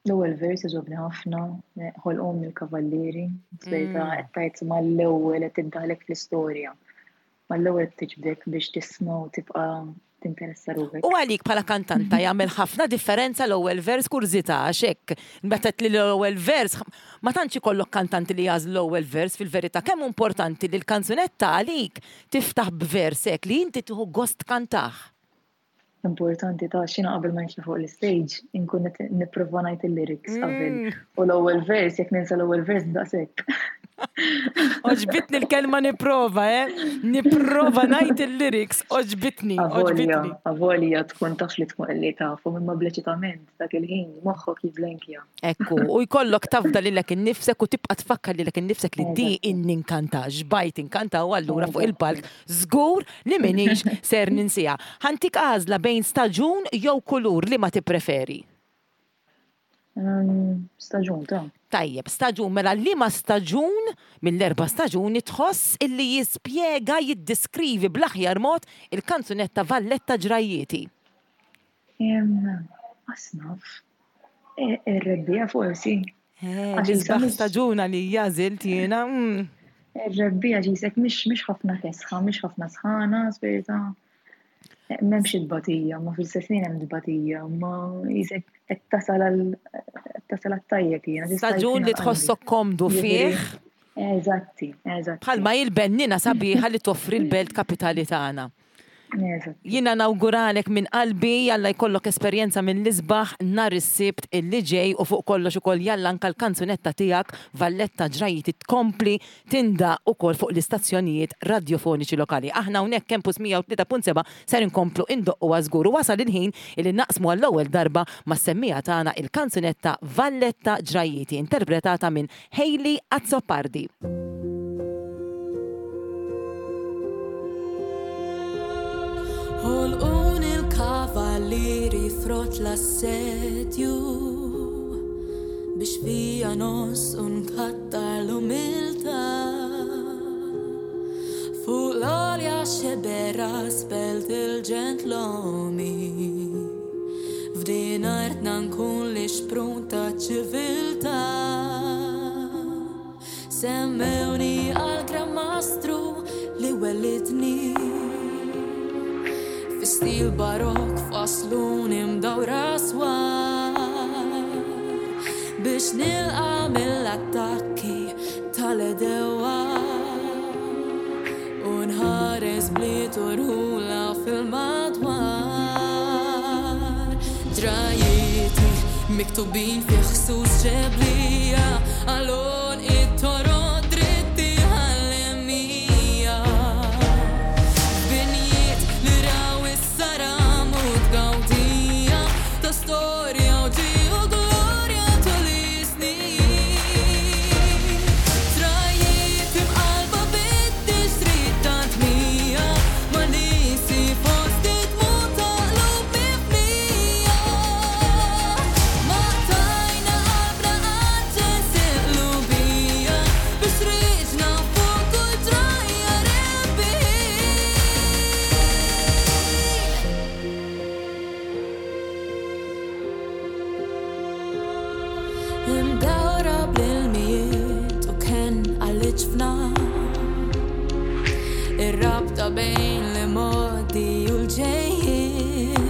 L-ewwel vers jogħġobni ħafna, ħolqhom mill-kavallieri, verità qed tgħid mal-ewwel qed tiddaħlek fl-istorja. Mal-ewwel tiġbdek biex tisma' u tibqa' tinteressa ruħek. U għalik bħala kantanta jagħmel ħafna differenza l-ewwel vers kurżità għax hekk meta li l-ewwel vers ma tantx ikollok kantanti li jagħżlu l-ewwel vers fil-verità kemm importanti li l-kanzunetta għalik tiftaħ b'vers hekk li inti tieħu gost kantah. Importanti ta' xina qabel ma nitla' fuq l-stage, inkun qed nipprova ngħid il-lyrics qabel. U l-ewwel vers, jekk ninsa l-ewwel vers daqshekk. Oġbitni l-kelma nipprova, eh? Nipprova ngħid il-lyrics, oġbitni, Avolja, oġbitni. avolja tkun taf li tkun li tafu, imma bleċitament dak il-ħin moħħok jiblenkja. Ekku, u jkollok tafda lilek innifsek u tibqa' tfakkar lilek innifsek li di inni nkanta, xbajt inkanta u allura fuq il-palk żgur li m'iniex ser ninsija. Ħantik għażla bejn staġun jew kulur li ma tippreferi? Staġun ta'. Tajjeb, staġun, mela li ma staġun mill-erba' staġuni tħoss illi jispjega, jiddiskrivi bl-aħjar mod il-kanzunetta Valletta Ġrajjieti? Asnaf. Ir-rebbiegħa forsi. Eh, l-isbaħ staġuna li għażilt jiena. Ir-rebbiegħa ġisek mhix ħafna kesħa, mhix ħafna sħana, spirita. M'hemmx it-tbatija, ma fil-istess ħin hemm tbatija, ma jisek qed tasal għal tasal għat-tajjeb jiena. Staġun li tħossok komdu fih. Eżatti, eżatti. Bħalma il-bennina sabiħa li toffri l-belt kapitali tagħna. Jiena nawguralek minn qalbi, jalla jkollok esperjenza mill-isbaħ nhar is-Sibt illi ġej u fuq kollox ukoll jalla anke l-kanzunetta tiegħek Valletta Ġrajjieti tkompli tindaq ukoll fuq l-istazzjonijiet radjofoniċi lokali. Aħna hawnhekk Campus mija u tlieta punt seba' ser inkomplu indoqquha żgur u wasal il-ħin illi naqsmu għall-ewwel darba mas-semmija tagħna il-kanzunetta Valletta Ġrajjieti interpretata minn Hayley Azzopardi. Ħolqhom Kavallieri frott l-assedju biex fija nos unkattar l-umilta. Fuq l-olja xebera spelt il-ġentlomi. F'din artna nkun li xprun ta' ċiviltà. Semmewni għal Gran Mastru li wellidni. Fi stil barok fasluni mdawra swar biex nilqa' mill-attakki tal-edewa u nħares bliet u rħula fil-madwar. Ġrajieti miktubin fi ħsus ġeblija għalon it-toroq dritti ħallemija. Binjiet li raw is-saram u tgawdija ta' storja u ġi u glorja tul is-snin. Trajiet imqalba bit-tixrid ta' tmija ma' nisi fost it-tmut ta' qlub mifnija. Ma tajna qalbna għaġġel qlubija biex riġna fuq kull ġrajja rebbieħin. Imdawra bl-ilmijiet u ken għal-ġfna Ir-rabta bejn li modi u l-ġejjin.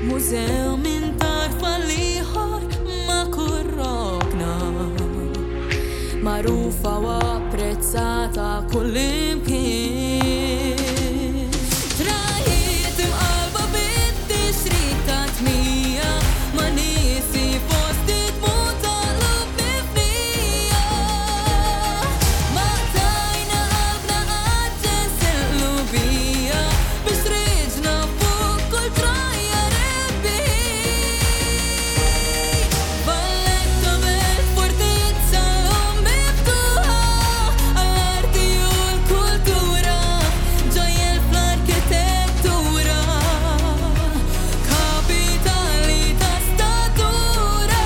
Mużew minn tarf għal-ieħor ma' kull rokna Magħrufa u apprezzata kull imkien. Trajiet imqalba bit-tixrid ta' tmija ma' nisi fost it-tmut ta' qlub mifnija. Ma tajna qalbna għaġġel qlubija biex riġna fuq kull ġrajja rebbieħin. Valletta belt fortizza llum miftuħa għall-arti u l-kultura, ġojjel fl-arkitettura, kapitali ta' statura.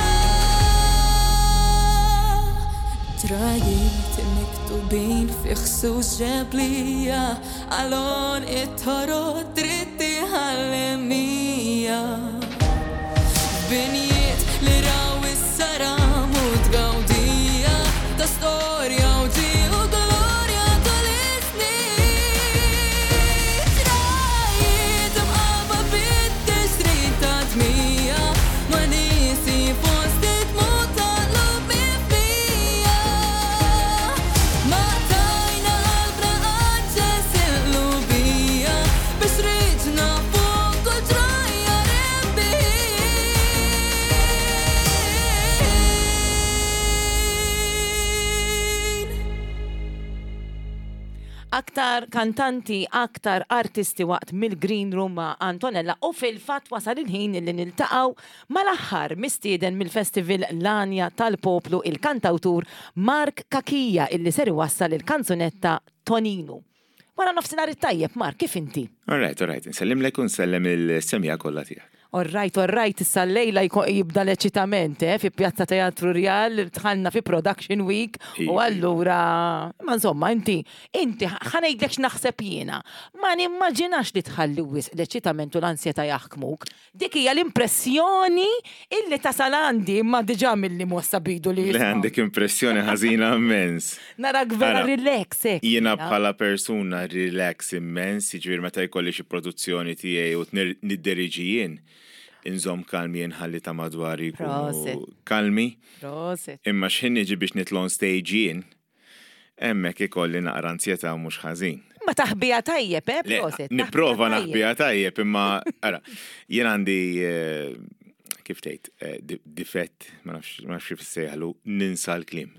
Trajiet miktubin fi ħsus ġeblija għalon it-toroq dritti ħallemija. Binjiet li raw is-saram u tgawdija ta' storja u ġi u glorja tul is-snin. Trajiet imqalba bit-tixrid ta' tmija ma' nisi fost it-tmut ta' qlub mifnija. Ma tajna qalbna għaġġel qlubija biex riġna fuq kull ġrajja rebbieħin. Aktar kantanti, aktar artisti waqt mill-Green Room ma' Antonella u fil-fatt wasal il-ħin li niltaqgħu mal-aħħar mistieden mill-Festival L-Għanja tal-Poplu il-kantawtur Mark Cachia illi ser iwassal il-kanzunetta Toninu. Wara nofsinhar it-tajjeb, Mark, kif inti? All right, all right. Nsellimlek u nsellem il-semja kollha tiegħek. All right, all right, issa llejla jko- jibda l-eċitament, eh, fi Pjazza Teatru Rjal, dħalna fi Production Week, u Iva. allura, ma insomma, inti, inti, ħa ngħidlek x'naħseb jiena, ma nimmaġinax li tħalli wisq l-eċitament u l-ansjetà jaħkmuk. Dik hija l-impressjoni illi tasal għandi, imma diġà mill-li mossa bidu li Le jisma'. għandek impressjoni ħażina immens. Narak vera Ara, relax, hekk. Jiena bħala persuna relax immens, jiġifieri meta jkolli xi produzzjoni tiegħi u tnir- nidderiġi jien, inżomm kalmi nħalli ta' madwari jkunu Prosit. kalmi. Prosit. Imma x'ħin niġi biex nitla' on stage jien, hemmhekk ikolli naqra ansjetà mhux ħażin. Ma taħbija tajjeb, eh, Le, prosit. Nipprova taħbija tajjeb. naħbija tajjeb, imma ara, jien għandi eh, kif tgħid, eh, di- difett, ma nafx ma nafx kif issejjaħlu, ninsa l-kliem.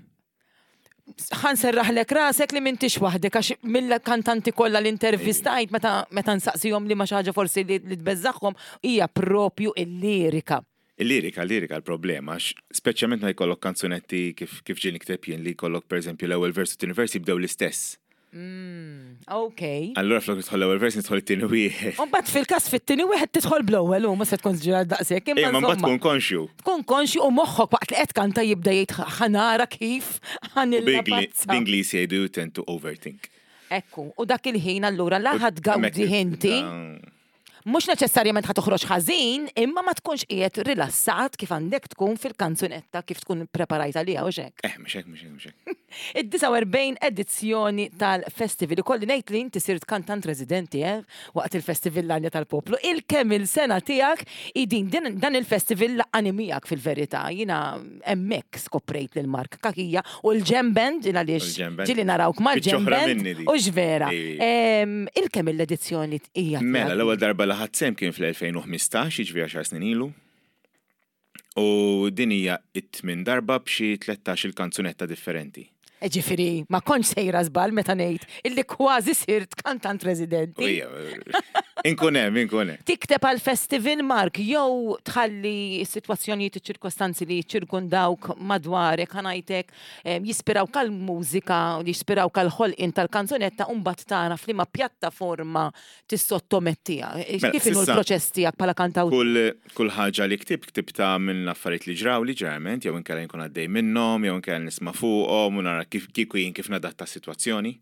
Ħa nserraħlek rasek li m'intix waħdek għax mill-kantanti kollha li intervistajt meta meta nsaqsihom li ma xi ħaġa forsi li li tbeżżagħhom hija propju il-lirika. Il-lirika, il-lirika l-problema, għax speċjalment ma jkollok kanzunetti kif kif ġie nikteb jien li jkollok pereżempju l-ewwel vers u t-tieni vers jibdew l-istess. Mm, ok. Allura flok nidħol l-ewwel vers nidħol it-tieni wieħed. U mbagħad fil-każ fit-tieni wieħed tidħol bl-ewwel u ma se tkun ġira daqshekk. Imma mbagħad tkun konxju. Tkun konxju u moħħok waqt li qed kanta jibda jgħid ħanara kif ħanilla. B'Ingliż jgħidu you tend to overthink. Ekku, u dak il-ħin allura la ħadd gawdi inti. Mhux neċessarjament ħa toħroġ ħażin, imma ma tkunx qiegħed rilassat kif għandek tkun fil-kanzunetta kif tkun preparajt għaliha u xek. Eh, mhux hekk, mhux hekk, mhux hekk. Id-disgħa u erbgħin edizzjoni tal-festival. Ikolli ngħid li inti sirt kantant residenti, eh, waqt il-Festival l-Għanja tal-Poplu. Il-kemm il-sena tiegħek idin din, dan il-festival laqqani miegħek fil-verità. Jiena hemmhekk skoprejt lil Mark Cachia u l-Jam Band, il għaliex U l-Jam Band. ġieli narawk mal-Jam Biċċa oħra Band minni dik. u x'vera. Ej. Em, Il-kemm l-edizzjoni hija Mela, tiegħek? l-ewwel darba li ħadt sehem kien fl-elfejn u ħmistax, jiġifieri għaxar snin ilu. U din hija it-tmien darba b'xi tlettax il-kanzunetta differenti. Ġifieri, ma kontx sejra żball meta ngħid illi kważi sirt kantant residenti. Ija, inkun hemm, inkun hemm. Tikteb għal festival, Mark, jew tħalli s-sitwazzjonijiet, iċ-ċirkostanzi li ċirkundawk madwarek, ħanajtek, em, jispirawk għal-mużika, li jispirawk għal-ħolqien tal-kanzunetta, u mbagħad tara f'liema pjattaforma tissottomettija. Mela, Kif inhu s'issa l-proċess tiegħek bħala kantawtur? Kull, kull ħaġa li ktib, ktibta minn affarijiet li ġraw li ġeneralment, jew inkella nkun għaddej minnhom, jew inkella nisma' fuqhom u nara kif kieku jien kif nadatta s-sitwazzjoni.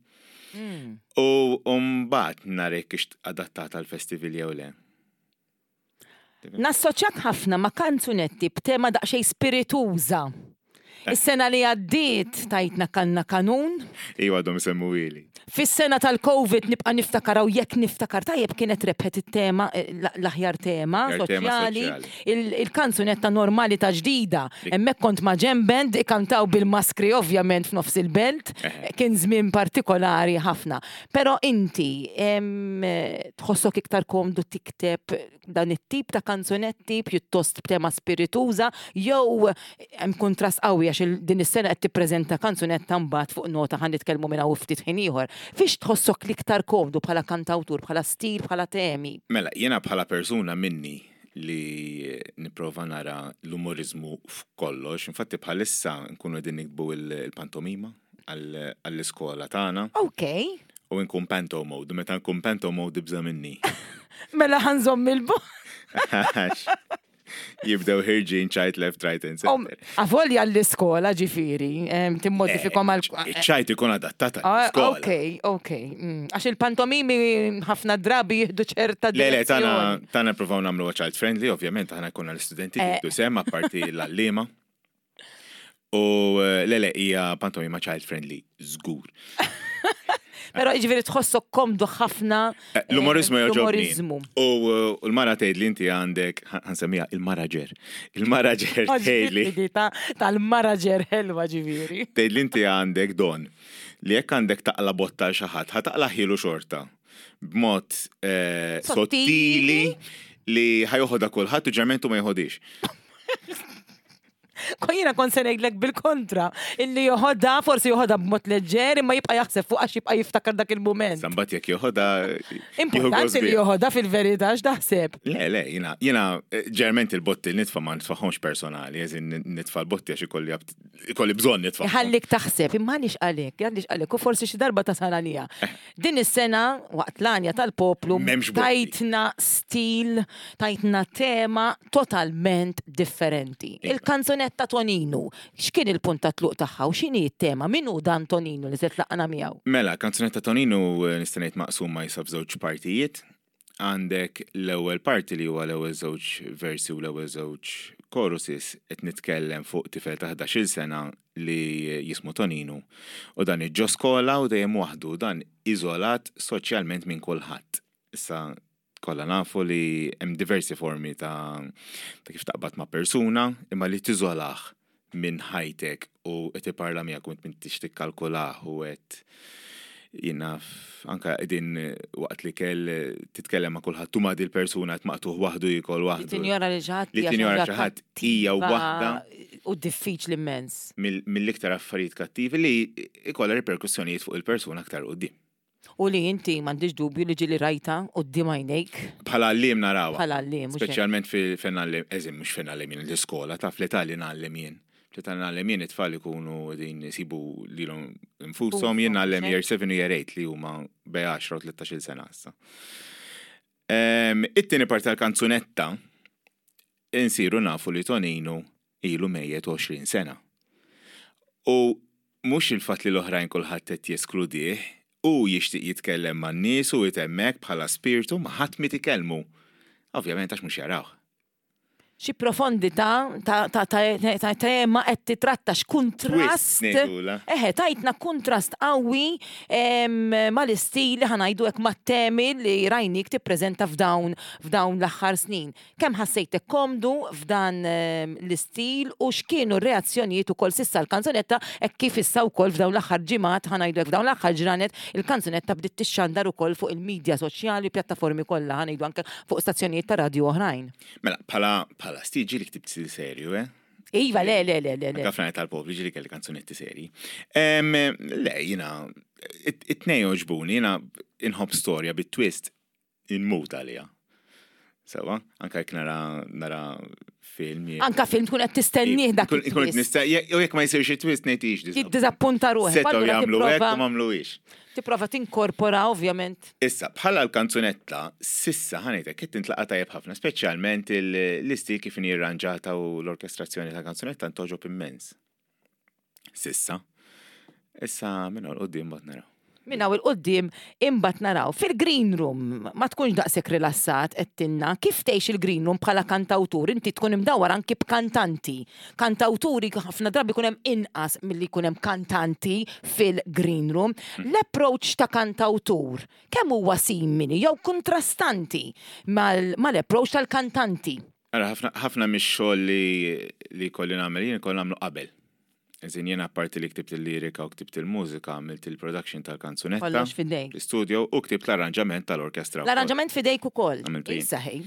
Mm. U mbagħad nara jekk hix adattata għall-festival jew le. Nassoċjak ħafna ma' kanzunetti b'tema daqsxejn spirituża. Eh. Is-sena li għaddiet tajtna kanna kanun. Iwa għadhom isemmu ili. Fis-sena tal-Covid nibqa' niftakar u jekk niftakar tajjeb kienet rebħet it-tema, eh, l-, l-aħjar tema L-aħjar tema soċjali, soċjali. il-, il-kanzunetta normali ta' ġdida. Dik. Hemmhekk kont ma' Jam Band ikantaw bil-maskri ovvjament f'nofs il-belt. Eħe. Kien żmien partikolari ħafna. Però inti em, tħossok iktar komdu tikteb dan it-tip ta' kanzunetti pjuttost b'tema spirituża jew hemm kontrast qawwi għax il-, din is-sena qed tippreżenta kanzunetta mbagħad fuq nota ħa nitkellmu minn hawn ftit ħin ieħor. Fiex tħossok l-iktar komdu bħala kantawtur, bħala stil, bħala temi? Mela, jiena bħala persuna minni li nipprova nara l-umorizmu f'kollox, infatti bħalissa nkunu qegħdin nikbu il-, il-pantomima għall-, għall-iskola tagħna. Ok. U nkun panto mode, meta nkun panto mode ibża' minni. Mela ħa nżomm il-bogħod. Jibdew ħirġin ċajt left, right and Om, center. Avolja l-iskola ġifieri, em, timmodifikom għal Eh, ċajt ikun adattat Ah, għall-iskola. Ok, ok. Mm, Għax il-pantomimi ħafna drabi jieħdu ċerta Le, le, tana, direzzjoni. tana provaw nagħmlu child friendly, ovvjament, aħna jkollna l-istudenti Eh. jieħdu sehem, apparti l-għalliema. U eh, le, le, hija pantomima child friendly, żgur. Però jiġifieri tħossok komdu ħafna. Eh, L-umorizmu eh, jogħġobni. L-umorizmu. U eh, u l-mara tgħid li inti għandek, ħa nsemmija il-maraġer. Il-maraġer tgħid li Ġifieri ta' tal-maraġer ħelwa ġifieri. tgħid li inti għandek don li jekk għandek taqla botta għal xi ħadd, ħa taqla ħilu xorta b'mod eh, Sottili. sottili li ħa joħodha kulħadd u ġermentu ma joħodix. Jiena kont se ngħidlek bil-kontra, illi joħodha, forsi joħodha b'mod leġġer, imma jibqa' jaħseb fuq għax jibqa' jiftakar dak il-mument. Sambat jekk joħodha, jieħu Importanti gost li biha. joħodha fil-verità x'taħseb. Le, le, jiena, jiena, eh, ġerment il-botti li nitfa' ma nitfaħomx personali, eżin nitfa' l-botti għax ikolli abt-, ikolli bżonn nitfa'. Ħallik taħseb, imma għaliex għalek, għaliex għalek, u forsi xi darba tasal għalija. Din is-sena, waqt l-għanja tal-poplu, M'hemmx botti. tajtna stil, tajtna tema totalment differenti. Iva. Il-kanzunetta Toninu, x'kien il-punt ta' tluq tagħha u x'inhi t-tema? Min hu dan Toninu li se tlaqna miegħu? Mela, kanzunetta Toninu, eh, nista' ngħid maqsuma jisa f'żewġ partijiet. Għandek l-ewwel parti li huwa l-ewwel żewġ versi u l-ewwel żewġ choruses qed nitkellem fuq tifel ta' ħdax-il sena li jismu Toninu. U dan iġġo skola u dejjem waħdu, dan iżolat soċjalment minn kulħadd. Issa kollha nafu li hemm diversi formi ta', ta' kif taqbad ma' persuna, imma li tiżolah minn ħajtek u qed iparla miegħek u int m'intix tikkalkulah u qed jiena f-, anka qegħdin waqt li kell titkellem ma' kulħadd u ma' dil persuna qed maqtuħ waħdu jikol Li waħdu. tinjora li xi ħadd Li hija tinjora xi xi ħadd hija kattiva waħda u diffiċli immens. mill-, mill-iktar affarijiet kattivi li ikollha riperkussjonijiet fuq il-persuna aktar quddiem. U li inti m'għandix dubju li ġieli rajta quddiem għajnejk. Bħala għalliem narawha. Bħala għalliem, mhux hekk. Speċjalment fejn għalliem, eżim mhux fejn għalliem jien l-iskola, taf l-età li ngħallem jien. Meta ngħallem jien it-tfal ikunu din isibu lilhom infushom, jien ngħallem year seven u year eight li huma bejn għaxra u tlettax-il sena issa. It-tieni parti tal-kanzunetta insiru nafu li Toninu ilu mejjet għoxrin sena. U mhux il-fatt li l-oħrajn kulħadd qed jeskludih, u jixtieq jitkellem man-nies u jtemmek bħala spirtu ma ħadd mi tikellmu. Ovvjament għax mhux jarawh. Xi profondità ta' ta' ta' ta' tema qed titratta x'kuntrast. Eħe, tajtna kuntrast qawwi mal-istil li ħanajdu hekk mat-temi li rajnik tippreżenta f'dawn f'dawn l-aħħar snin. Kemm ħassejtek komdu f'dan l-istil u x'kienu r-reazzjonijiet ukoll s'issa l-kanzunetta hekk kif issa wkoll f'dawn l-aħħar ġimgħat ħanajdu hekk f'dawn l-aħħar ġranet il-kanzunetta bdiet tixxandar ukoll fuq il-medja soċjali u pjattaformi kollha ħanajdu anke fuq stazzjonijiet ta' radju oħrajn. Mela, bħala bħala stil ġieli ktibt stil serju, eh? Iva, le, le, le, le, le. Anka fl-għana tal-popli ġieli kelli kanzunetti serji. Le, jina, it-tnejn jogħġbuni, jina inħobb storja bit-twist inmut għalija. Sewa, anka jekk nara, nara film. Anka film tkun qed tistennieh dak it-twist. Ikun qed nistenni, jew jekk ma jsirx it-twist ngħid ix diżappunta. Jiddiżappunta ruħek. Setgħu jagħmlu hekk u m'għamluhiex. Tipprova tinkorpora ovvjament. Issa, bħala l-kanzunetta, sissa ħanejtek qed tintlaqa' tajjeb ħafna, speċjalment l-istil kif inhi rranġata u l-orkestrazzjoni tal-kanzunetta ntogħġob immens. Sissa. Issa minn hawn 'l quddiem mbagħad naraw. Minn hawn 'il quddiem imbagħad naraw. Fil-green room ma tkunx daqshekk rilassat qed tinna. Kif tgħix il-green room bħala kantawtur? Inti tkun imdawwar anki b'kantanti. Kantawturi ħafna drabi jkun hemm inqas milli jkun hemm kantanti fil-green room. L-approach ta' kantawtur kemm huwa simili jew kontrastanti mal-approach tal-kantanti? Ara, ħafna mix-xogħol li jkolli nagħmel jien ikolli nagħmlu qabel. Eżin jien apparti li ktibt il-lirika u ktibt il-mużika, għamilt il-production tal-kanzunetta. Kollox fidejk. L-istudio u ktibt l-arranġament tal-orkestra. L-arranġament fidejk ukoll. Għamiltu jien. Saħi.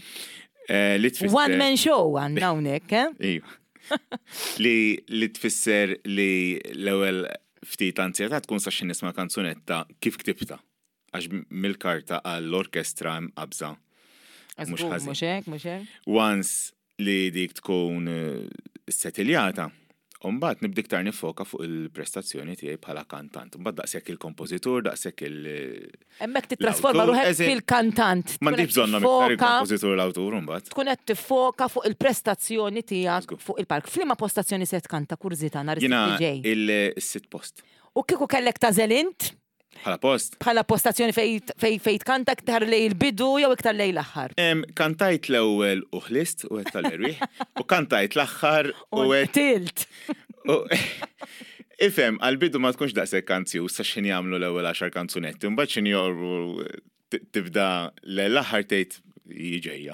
Li tfisser. One man show għandna hawnhekk, eh? Iva. Li li tfisser li l-ewwel ftit anzjetà tkun sa xi nisma' kanzunetta kif ktibta. Għax mill-karta għall-orkestra hemm qabża. Mhux ħażin. Mhux hekk, mhux hekk. Once li dik tkun setiljata, Umbagħad nibda iktar nifoka fuq il-prestazzjoni tiegħi bħala kantant. Umbagħad daqshekk il-kompożitur, daqshekk il- Hemmhekk tittrasforma ruħek fil-kantant. M'għandix bżonnhom iktar il-kompożitur l-awtur imbagħad. Tkun qed tiffoka fuq il-prestazzjoni tiegħek fuq il-palk. F'liema postazzjoni se tkanta kurżità nhar is-Sibt li ġej? Jiena il-sitt post. U kieku kellek tagħżel int? Bħala post? Bħala postazzjoni fej fej fej tkanta iktar lej il-bidu jew iktar lej l-aħħar? Kantajt l-ewwel u ħlist u għedt tal-erwieħ u kantajt l-aħħar u għedt. Tilt. Ifhem, għall-bidu ma tkunx daqshekk anzjuż sa x'ħin jagħmlu l-ewwel għaxar kanzunetti, mbagħad x'ħin joqorbu tibda l-aħħar tgħid ġejja.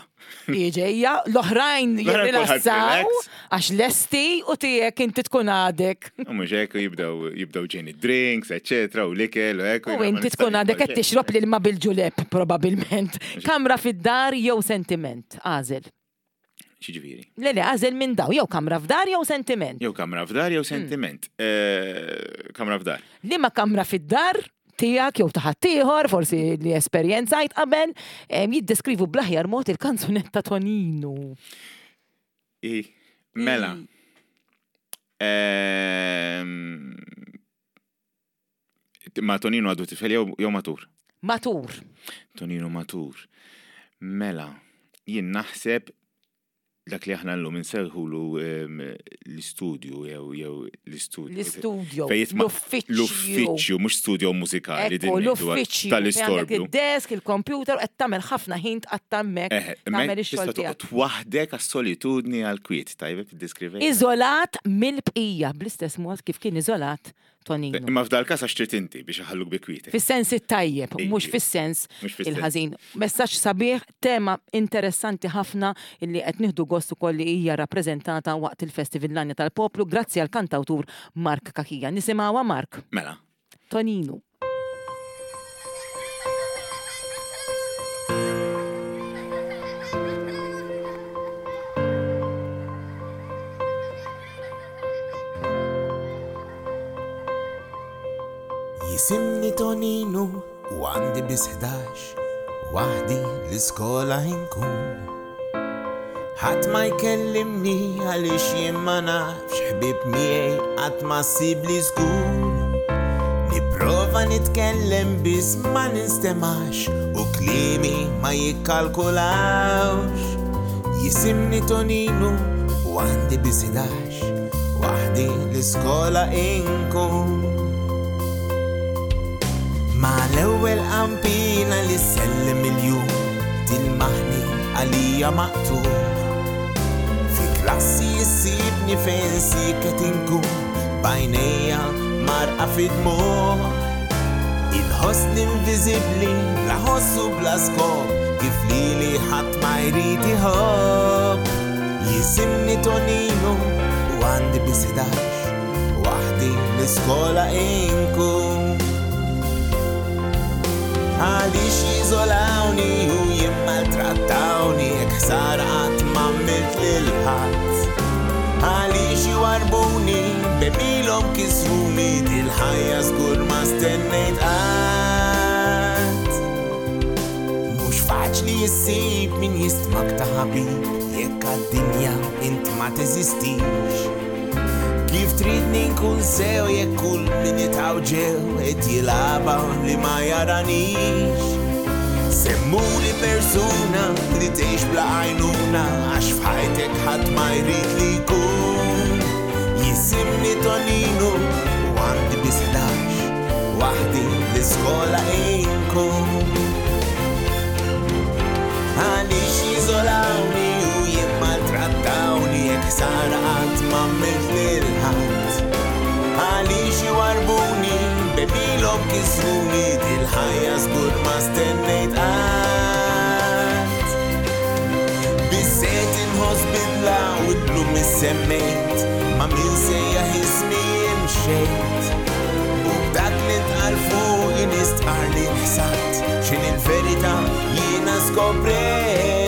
Ġejja, l-oħrajn jirrilassaw għax lesti u tiegħek inti tkun għadek. U mhux hekk jibdew jibdew ġejni drinks, eċetera, u l-ikel u hekk. U inti tkun għadek qed tixrob l-ilma bil-ġuleb probabbilment. Kamra fid-dar jew sentiment, għażel. X'jiġifieri? Le le, għażel minn daw, jew kamra f'dar jew sentiment. Jew kamra f'dar jew sentiment. Kamra f'dar. Liema kamra fid-dar tiegħek jew ta' ħaddieħor, forsi li esperjenzajt qabel, jiddeskrivu bl-aħjar mod il-kanzunetta Toninu. I, mela. Ma Toninu għadu tifel jew matur? Matur. Toninu matur. Mela, jien naħseb dak li aħna llum insejħulu l-istudju jew jew l-istudju. L-istudju, l-uffiċċju. L-uffiċċju, mhux studio mużikali din l-uffiċċju tal-istorbju. Id-desk, il-computer, qed tagħmel ħafna ħin tqatta' hemmhekk. Tagħmel ix-xogħol tiegħek. Tista' toqgħod waħdek għas-solitudni għall-kwiet, tajjeb tiddeskrivejha. Iżolat mill-bqija bl-istess mod kif kien iżolat Toninu. Imma f'dal każ għax trid inti biex iħalluk bi kwiet. Fis-sens it-tajjeb, mhux fis-sens il-ħażin. Messaġġ sabiħ, tema interessanti ħafna illi qed nieħdu gost ukoll li hija rappreżentata waqt il-Festival L-Għanja tal-Poplu grazzi għal kantawtur Mark Cachia. Nisimgħuha Mark. Mela. Toninu. Jisimni Toninu u għandi biss ħdax, waħdi l-iskola inkun. Ħadd ma jkellimni għaliex jien ma nafx ħbieb miegħi qatt ma ssibli żgur. Nipprova nitkellem biss ma ninstemax u kliemi ma jikkalkulawx. Jisimni Toninu u għandi biss ħdax, waħdi l-iskola inkun. Ma l-ewwel qampina li sellem il-jum tilmaħni għalija maqtugħ. Fi klassi jissibni fejn siket inkun b'għajnejja marqa fid-dmugħ. Inħossni inviżibbli bla ħoss u bla skop kif lili ħadd ma jrid iħobb. Jisimni Toninu u għandi biss ħdax, waħdi l-iskola inkun. Għaliex jiżolawni u jimmaltrattawni jekk ħsara qatt ma għamilt lil ħadd. Għaliex jwarbuni b'għemilhom kisruni dil-ħajja żgur ma stennejt qatt. Mhux faċli issib min jistmak ta' ħabib jekk għad-dinja int ma teżistix. Kif tridni nkun sew jekk kull min jitgħawġew qed jilgħabha li ma jaranix. Semmuli persuna li tgħix bla għajnuna għax f'ħajtek ħadd ma jrid li jkun. Jisimni Toninu u għandi biss ħdax, waħdi l-iskola inkun. Għaliex jiżolawni u jimmaltrattawni jekk ħsara qatt ma għamilt lil ħadd. Għaliex jwarbuni b'għemilhom kisruni dil-ħajja żgur ma stennejt qatt. Biżżejjed inħoss bidla u llum issemmejt ma' min sejjaħ ismi imxejt. U b'dak li ntqal fuqi nistqarr li nħsadt x'inhi l-verità jiena skoprejt.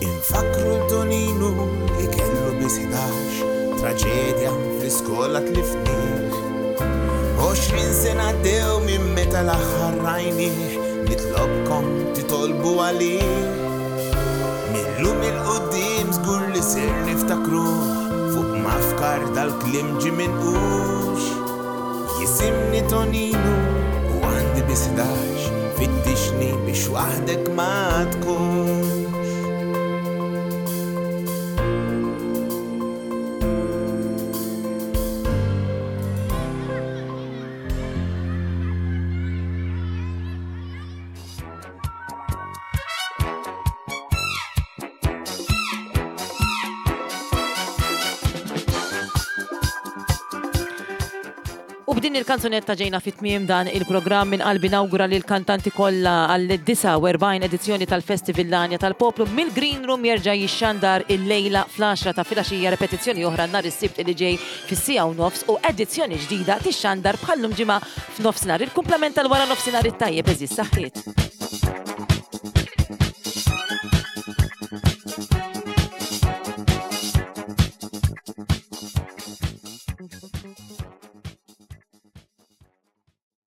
Infakru l-Toninu li kellu biss ħdax, traġedja fl-iskola tlifnieh. Għoxrin sena għaddew minn meta l-aħħar rajnieh, nitlobkom titolbu għalih. Millum il-qudiem żgur li ser niftakruh, fuq mafkar dal-kliem ġie minqux. Jisimni Toninu u għandi biss ħdax, fittixni biex waħdek ma tkunx. U b'din il-kanzunetta ġejna fit-tmiem dan il-programm. Minn qalbi nawgura lil kantanti kollha għal disgħa u erbgħin edizzjoni tal-Festival L-Għanja tal-Poplu. Mill-Green Room jerġa' jixxandar il-lejla fl-għaxra ta' filgħaxija, repetizzjoni oħra nhar is-Sibt li ġej fis-siegħa u nofs u edizzjoni ġdida tixxandar bħallum ġimgħa f'nofsinhar. Il-kumplament tal-wara nofsinhar it-tajjeb, eżis saħħiet.